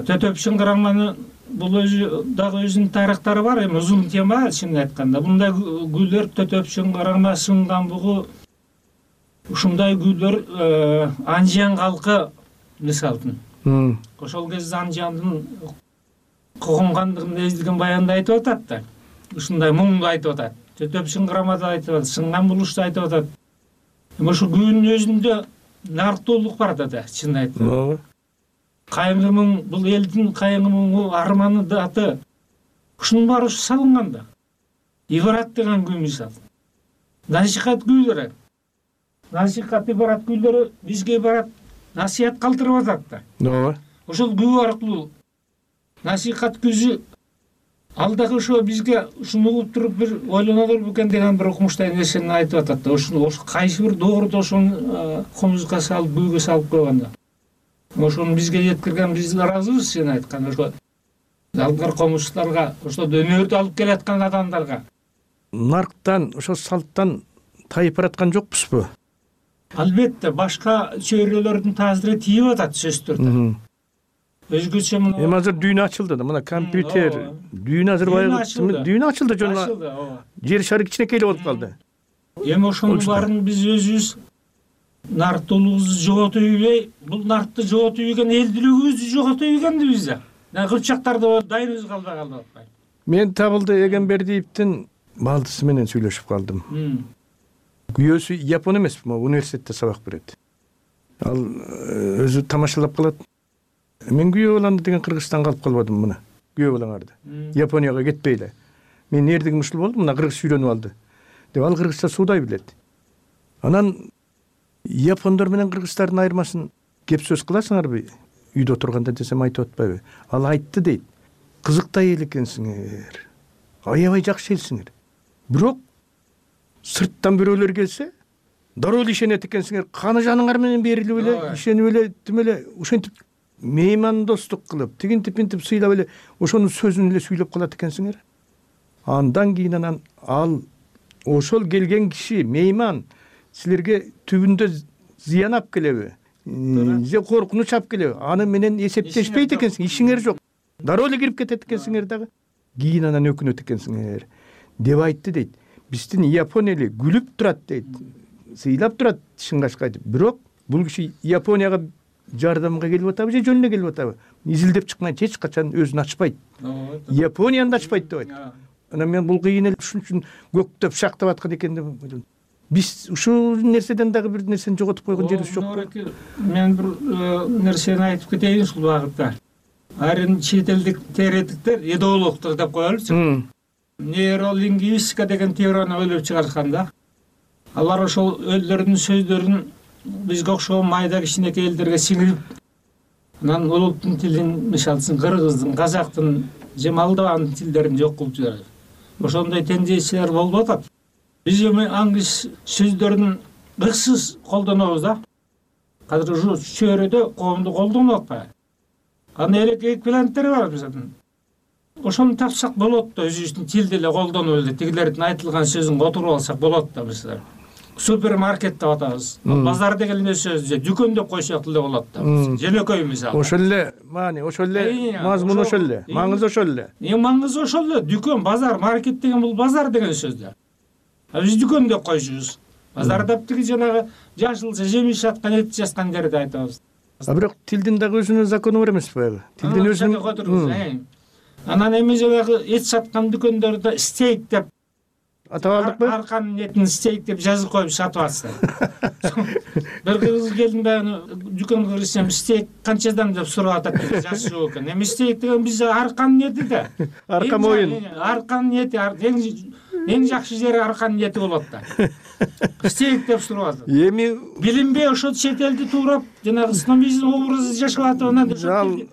Төтөп шыңгыраманы бул өзү дагы өзүнүн тарыхтары бар, эми узун тема чынын айтканда. Мындай күүлөр төтөп шыңгырама сынган бугу ушундай күүлөр Анжан калкы мисалдын. Ошол кезде Анжандын когонгандыгын эзилген баянда айтып атат да. Ушундай муңду айтып атат. Төтөп шыңгырамада айтып атат, сынган булушту айтып атат. Эми ошо күүнүн өзүндө нарктуулук бар да, чынын айтканда. Кайгы муң бул элдин кайгы муңу, арманы даты ушунун баары салынган да. Ибарат деген күү мисал. Насихат күүлөрү. Насихат ибарат күүлөрү бизге барат насихат калтырып атат да. Ооба. Ошол күү аркылуу насихат күзү ал дагы ошо бизге ушуну угуп туруп бир ойлонолор бекен деген бир окумуштай нерсени айтып атат да. Ошону кайсы бир дооруда ошону комузга салып, күүгө салып койгон да. Ошону бизге жеткирген биз ыраазыбыз, сен айткан ошо алгар комузчуларга, ошо өнөрдү алып келаткан адамдарга. Нарктан, ошо салттан тайып бараткан жокпузбу? Албетте, башка чөйрөлөрдүн таасири тийип атат сөзсүздөрдө. Өзгөчө мына эми азыр дүйнө ачылды да, мына компьютер, дүйнө азыр баягы дүйнө ачылды жөн. Жер шары кичинекей болуп калды. Эми ошонун баарын биз өзүбүз нарктуулугубузду жоготуп ийбей, бул нартты жоготуп ийген элдүүлүгүбүздү жоготуп ийгенбиз да. Кыпчактарда дайрыбыз калбай калды атпайбы. Мен Табылды Эгембердиевдин балдысы менен сүйлөшүп калдым. Күйөөсү япон эмес, университетте сабак берет. Ал өзү тамашалап калат. Мен күйөө баламды деген Кыргызстанга алып калбадым мына. Күйөө балаңарды. Японияга кетпей эле. Мен эрдигим ушул болду, мына кыргыз үйрөнүп алды. Деп ал кыргызча суудай билет. Анан япондор менен кыргыздардын айырмасын кеп сөз кыласыңарбы? Үйдө отурганда десем айтып атпайбы? Ал айтты дейт. Кызыктай эл экенсиңер. Аябай жакшы элсиңер. Бирок сырттан бирөөлөр келсе, дароо эле ишенет экенсиңер. Каны жаныңар менен берилип эле, ишенип эле, тим эле ушинтип мейман достук кылып, тигинтип интип сыйлап эле ошонун сөзүн эле сүйлөп калат экенсиңер. Андан кийин анан ал ошол келген киши мейман силерге түбүндө зыян алып келеби? Же коркунуч алып келеби? Аны менен эсептешпейт экенсиң, ишиңер жок. Дароо эле кирип кетет экенсиңер дагы. Кийин анан өкүнөт экенсиңер деп айтты дейт. Биздин Япон эли күлүп турат дейт. Сыйлап турат Шыңгашка айтып. Бирок бул киши Японияга жардамга келип атабы же жөн эле келип атабы? Изилдеп чыккан эч качан өзүн ачпайт. Японияны да ачпайт деп айтты. Анан мен бул кыйын эле ушун үчүн көктөп шактап аткан экен деп ойлодум. Биз ушул нерседен дагы бир нерсени жоготуп койгон жерибиз жокпу? Мен бир нерсени айтып кетейин ушул багытта. Айрым чет элдик теоретиктер идеологдор деп коелучу. Нейролингвистика деген теорияны ойлоп чыгарышкан да. Алар ошол элдердин сөздөрүн бизге окшогон майда кичинекей элдерге сиңирип, анан улуттун тилин, мисалы үчүн кыргыздын, казактын же молдован тилдерин жок кылып жиберет. Ошондой тенденциялар болуп атат. Биз эми аңгыз сөздөрдүн ыксыз колдонобуз да. Азыр ушу чөйрөдө коомду колдонуп атпайбы? Аны элек эквиваленттери бар мисалы. Ошону тапсак болот да, өзүбүздүн тилди эле колдонуп эле тигилердин айтылган сөзүн которуп алсак болот да мисалы. супермаркет деп атабыз. Базар деген эле сөз же дүкөн деп койсок эле болот да. Жөнөкөй мисалы. Ошол эле маани, ошол эле мазмун, ошол эле маңызы, ошол эле. Эң маңызы ошол эле. Дүкөн, базар, маркет деген бул базар деген сөз да. А биз дүкөн деп койчубуз. Базар деп тиги жанагы жашылча жемиш жаткан, эт жаткан жерди айтабыз. А бирок тилдин дагы өзүнүн закону бар эмеспи баягы? Тилдин өзүнүн. Анан эми жанагы эт саткан дүкөндөрдө стейк деп атап алдыкпы? Арканын этин стейк деп жазып коюп сатып атышты. Бир кыз келдим баягы дүкөнгө кирсем, стейк канчадан деп сурап атат деп жазышуу экен. Эми стейк деген биз арканын эти да. Арка моюн. Арканын эти эң жакшы жери арканын эти болот да. Стейк деп сурап атат. Эми билинбей ошо чет элди туурап жанагы снобизм образы жашап атып анан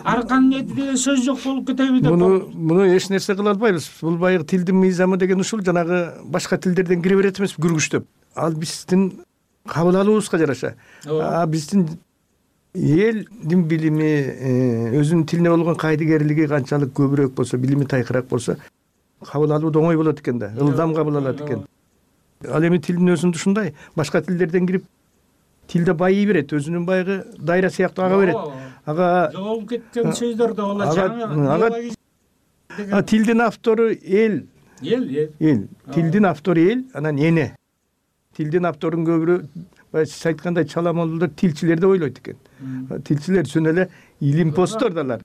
арканын эти деген сөз жок болуп кетеби деп. Муну муну эч нерсе кыла албайбыз. Бул баягы тилдин мыйзамы деген ушул, жанагы башка тилдерден кире берет эмес, күргүчтөп. Ал биздин кабыл алуубузга жараша. А биздин элдин билими, өзүнүн тилине болгон кайдыгерлиги канчалык көбүрөөк болсо, билими тайкыраак болсо, кабыл алуу да оңой болот экен да, ылдам кабыл алат экен. Ал эми тилдин өзүндө ушундай, башка тилдерден кирип тилде байый берет, өзүнүн баягы дайра сыяктуу ага берет. Ага жоголуп кеткен сөздөр да болот. Ага тилдин автору эл. Эл, эл. Эл. Тилдин автору эл, анан эне. Тилдин авторун көбүрөөк баягы сиз айткандай чаламолдор тилчилер деп ойлойт экен. Тилчилер чын эле илимпоздор далар.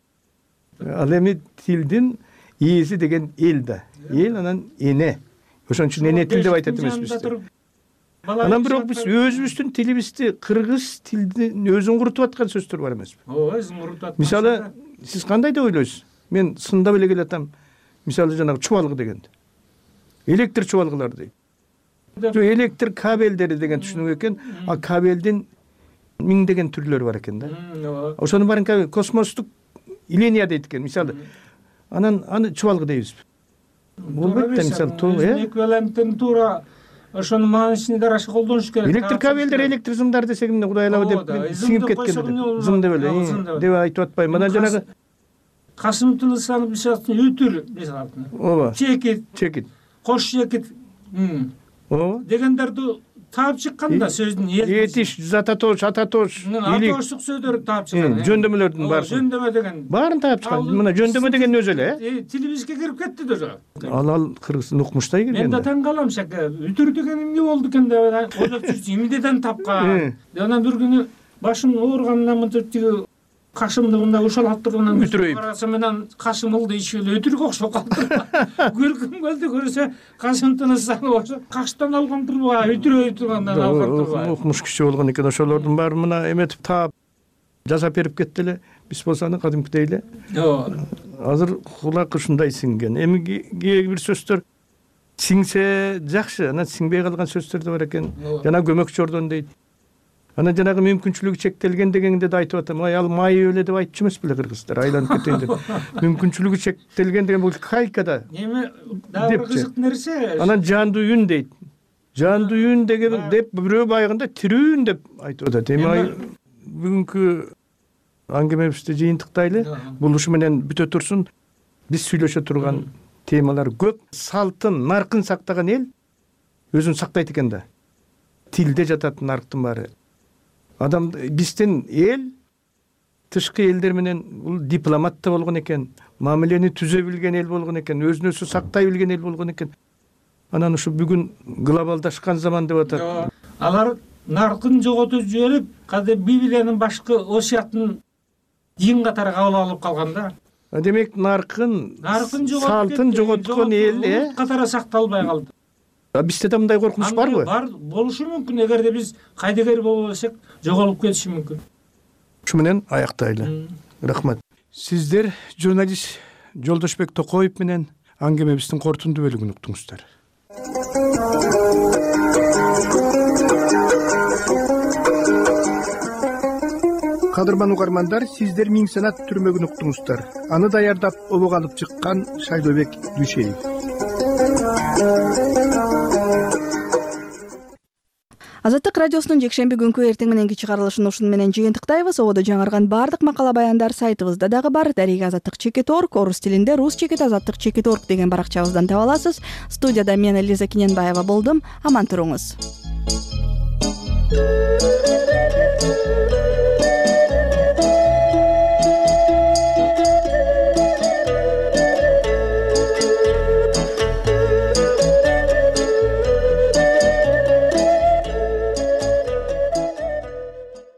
Ал эми тилдин ээси деген эл да. Эл анан эне. Ошон үчүн эне тил деп айтат эмеспиз. Анан бирок биз өзүбүздүн тилибизди, кыргыз тилдин өзүн курутуп аткан сөздөр бар эмеспи? Ооба, өзүн курутуп аткан. Мисалы, сиз кандай деп ойлойсуз? Мен сындап эле келатам. Мисалы жанагы чубалгы дегенди. Электр чубалгылары дейт. Электр кабелдери деген түшүнүк экен. А кабелдин миңдеген түрлөрү бар экен да. Ошонун баарын космостук линия дейт экен. Мисалы, анан аны чубалгы дейбизби? Болбойт да, мисалы, э? Эквиваленттин туура ошонун маанисине дараша колдонуш керек. Электр кабелдер, электр зымдар десек эмне, Кудай алабы деп сиңип кеткен. Зым деп эле, деп айтып атпайм. Мына жанагы Касым Тынысаны мисалы үтүр мисалы. Ооба. Чекит, чекит. Кош чекит. Ооба. Дегендерди таап чыккан да сөздүн эл. Этиш, зататош, ататош, илик. Атоштук сөздөрдү таап чыккан. Жөндөмөлөрдүн баары. Жөндөмө деген. Баарын таап чыккан. Мына жөндөмө деген өзү эле, э? Тилибизге кирип кетти да. Ал ал кыргыздын укмуштай кирген. Мен да таң калам шака. Үтүр деген эмне болду экен деп ойлоп жүрсүм. Эмнеден тапкан? Анан бир күнү башым ооругандан мынтип тиги кашымды мындай ушал аттыргандан карасам менен кашым ылды ичип эле өтүргө окшоп калды. Көргүм келди, көрсө Касым Тынысаны ошо каштан алган турбайбы, өтүрөй тургандан алган турбайбы. Укмуш киши болгон экен, ошолордун баары мына эметип таап жасап берип кетти эле. Биз болсо аны кадимкидей эле. Ооба. Азыр кулак ушундай сиңген. Эми кээ бир сөздөр сиңсе жакшы, анан сиңбей калган сөздөр да бар экен. Жана көмөк жордон дейт. Анан жанагы мүмкүнчүлүгү чектелген дегенде да айтып атам. Ай, ал майы өлө деп айтчу эмес беле кыргыздар, айланып кетейин деп. Мүмкүнчүлүгү чектелген деген бул кайка да. Эми дагы бир кызык нерсе. Анан жандуу үн дейт. Жандуу үн деген деп бирөө байгында тирүүн деп айтып атат. Эми бүгүнкү аңгемебизди жыйынтыктайлы. Бул ушу менен бүтө турсун. Биз сүйлөшө турган темалар көп. Салтын, наркын сактаган эл өзүн сактайт экен да. Тилде жатат нарктын баары. Адам биздин эл тышкы элдер менен бул дипломат да болгон экен, мамилени түзө билген эл болгон экен, өзүн өзү сактай билген эл болгон экен. Анан ушу бүгүн глобалдашкан заман деп атат. Алар наркын жоготуп жиберип, кадим Библиянын башкы осуятын дин катары кабыл алып калган да. Демек наркын, салтын жоготкон эл э катары сакталбай калды. Бизде да мындай коркунуч барбы? Бар, болушу мүмкүн. Эгерде биз кайдыгер болбосок, жоголуп кетиши мүмкүн. Ушу менен аяктайлы. Рахмат. Сиздер журналист Жолдошбек Токоев менен аңгемебиздин корутундуу бөлүгүн уктуңуздар. Кадырман угармандар, сиздер Миң санат түрмөгүн уктуңуздар. Аны даярдап обого алып чыккан Шайлообек Дүйшеев. Азаттык радиосунун жекшемби күнкү эртең мененки чыгарылышын ушуну менен жыйынтыктайбыз. Ободо жаңырган баардык макала баяндар сайтыбызда дагы бар. Дарига азаттык чекит точка орг, орус тилинде рус чекит азаттык чекит точка орг деген баракчабыздан таба аласыз. Студияда мен Элиза Киненбаева болдум. Аман туруңуз.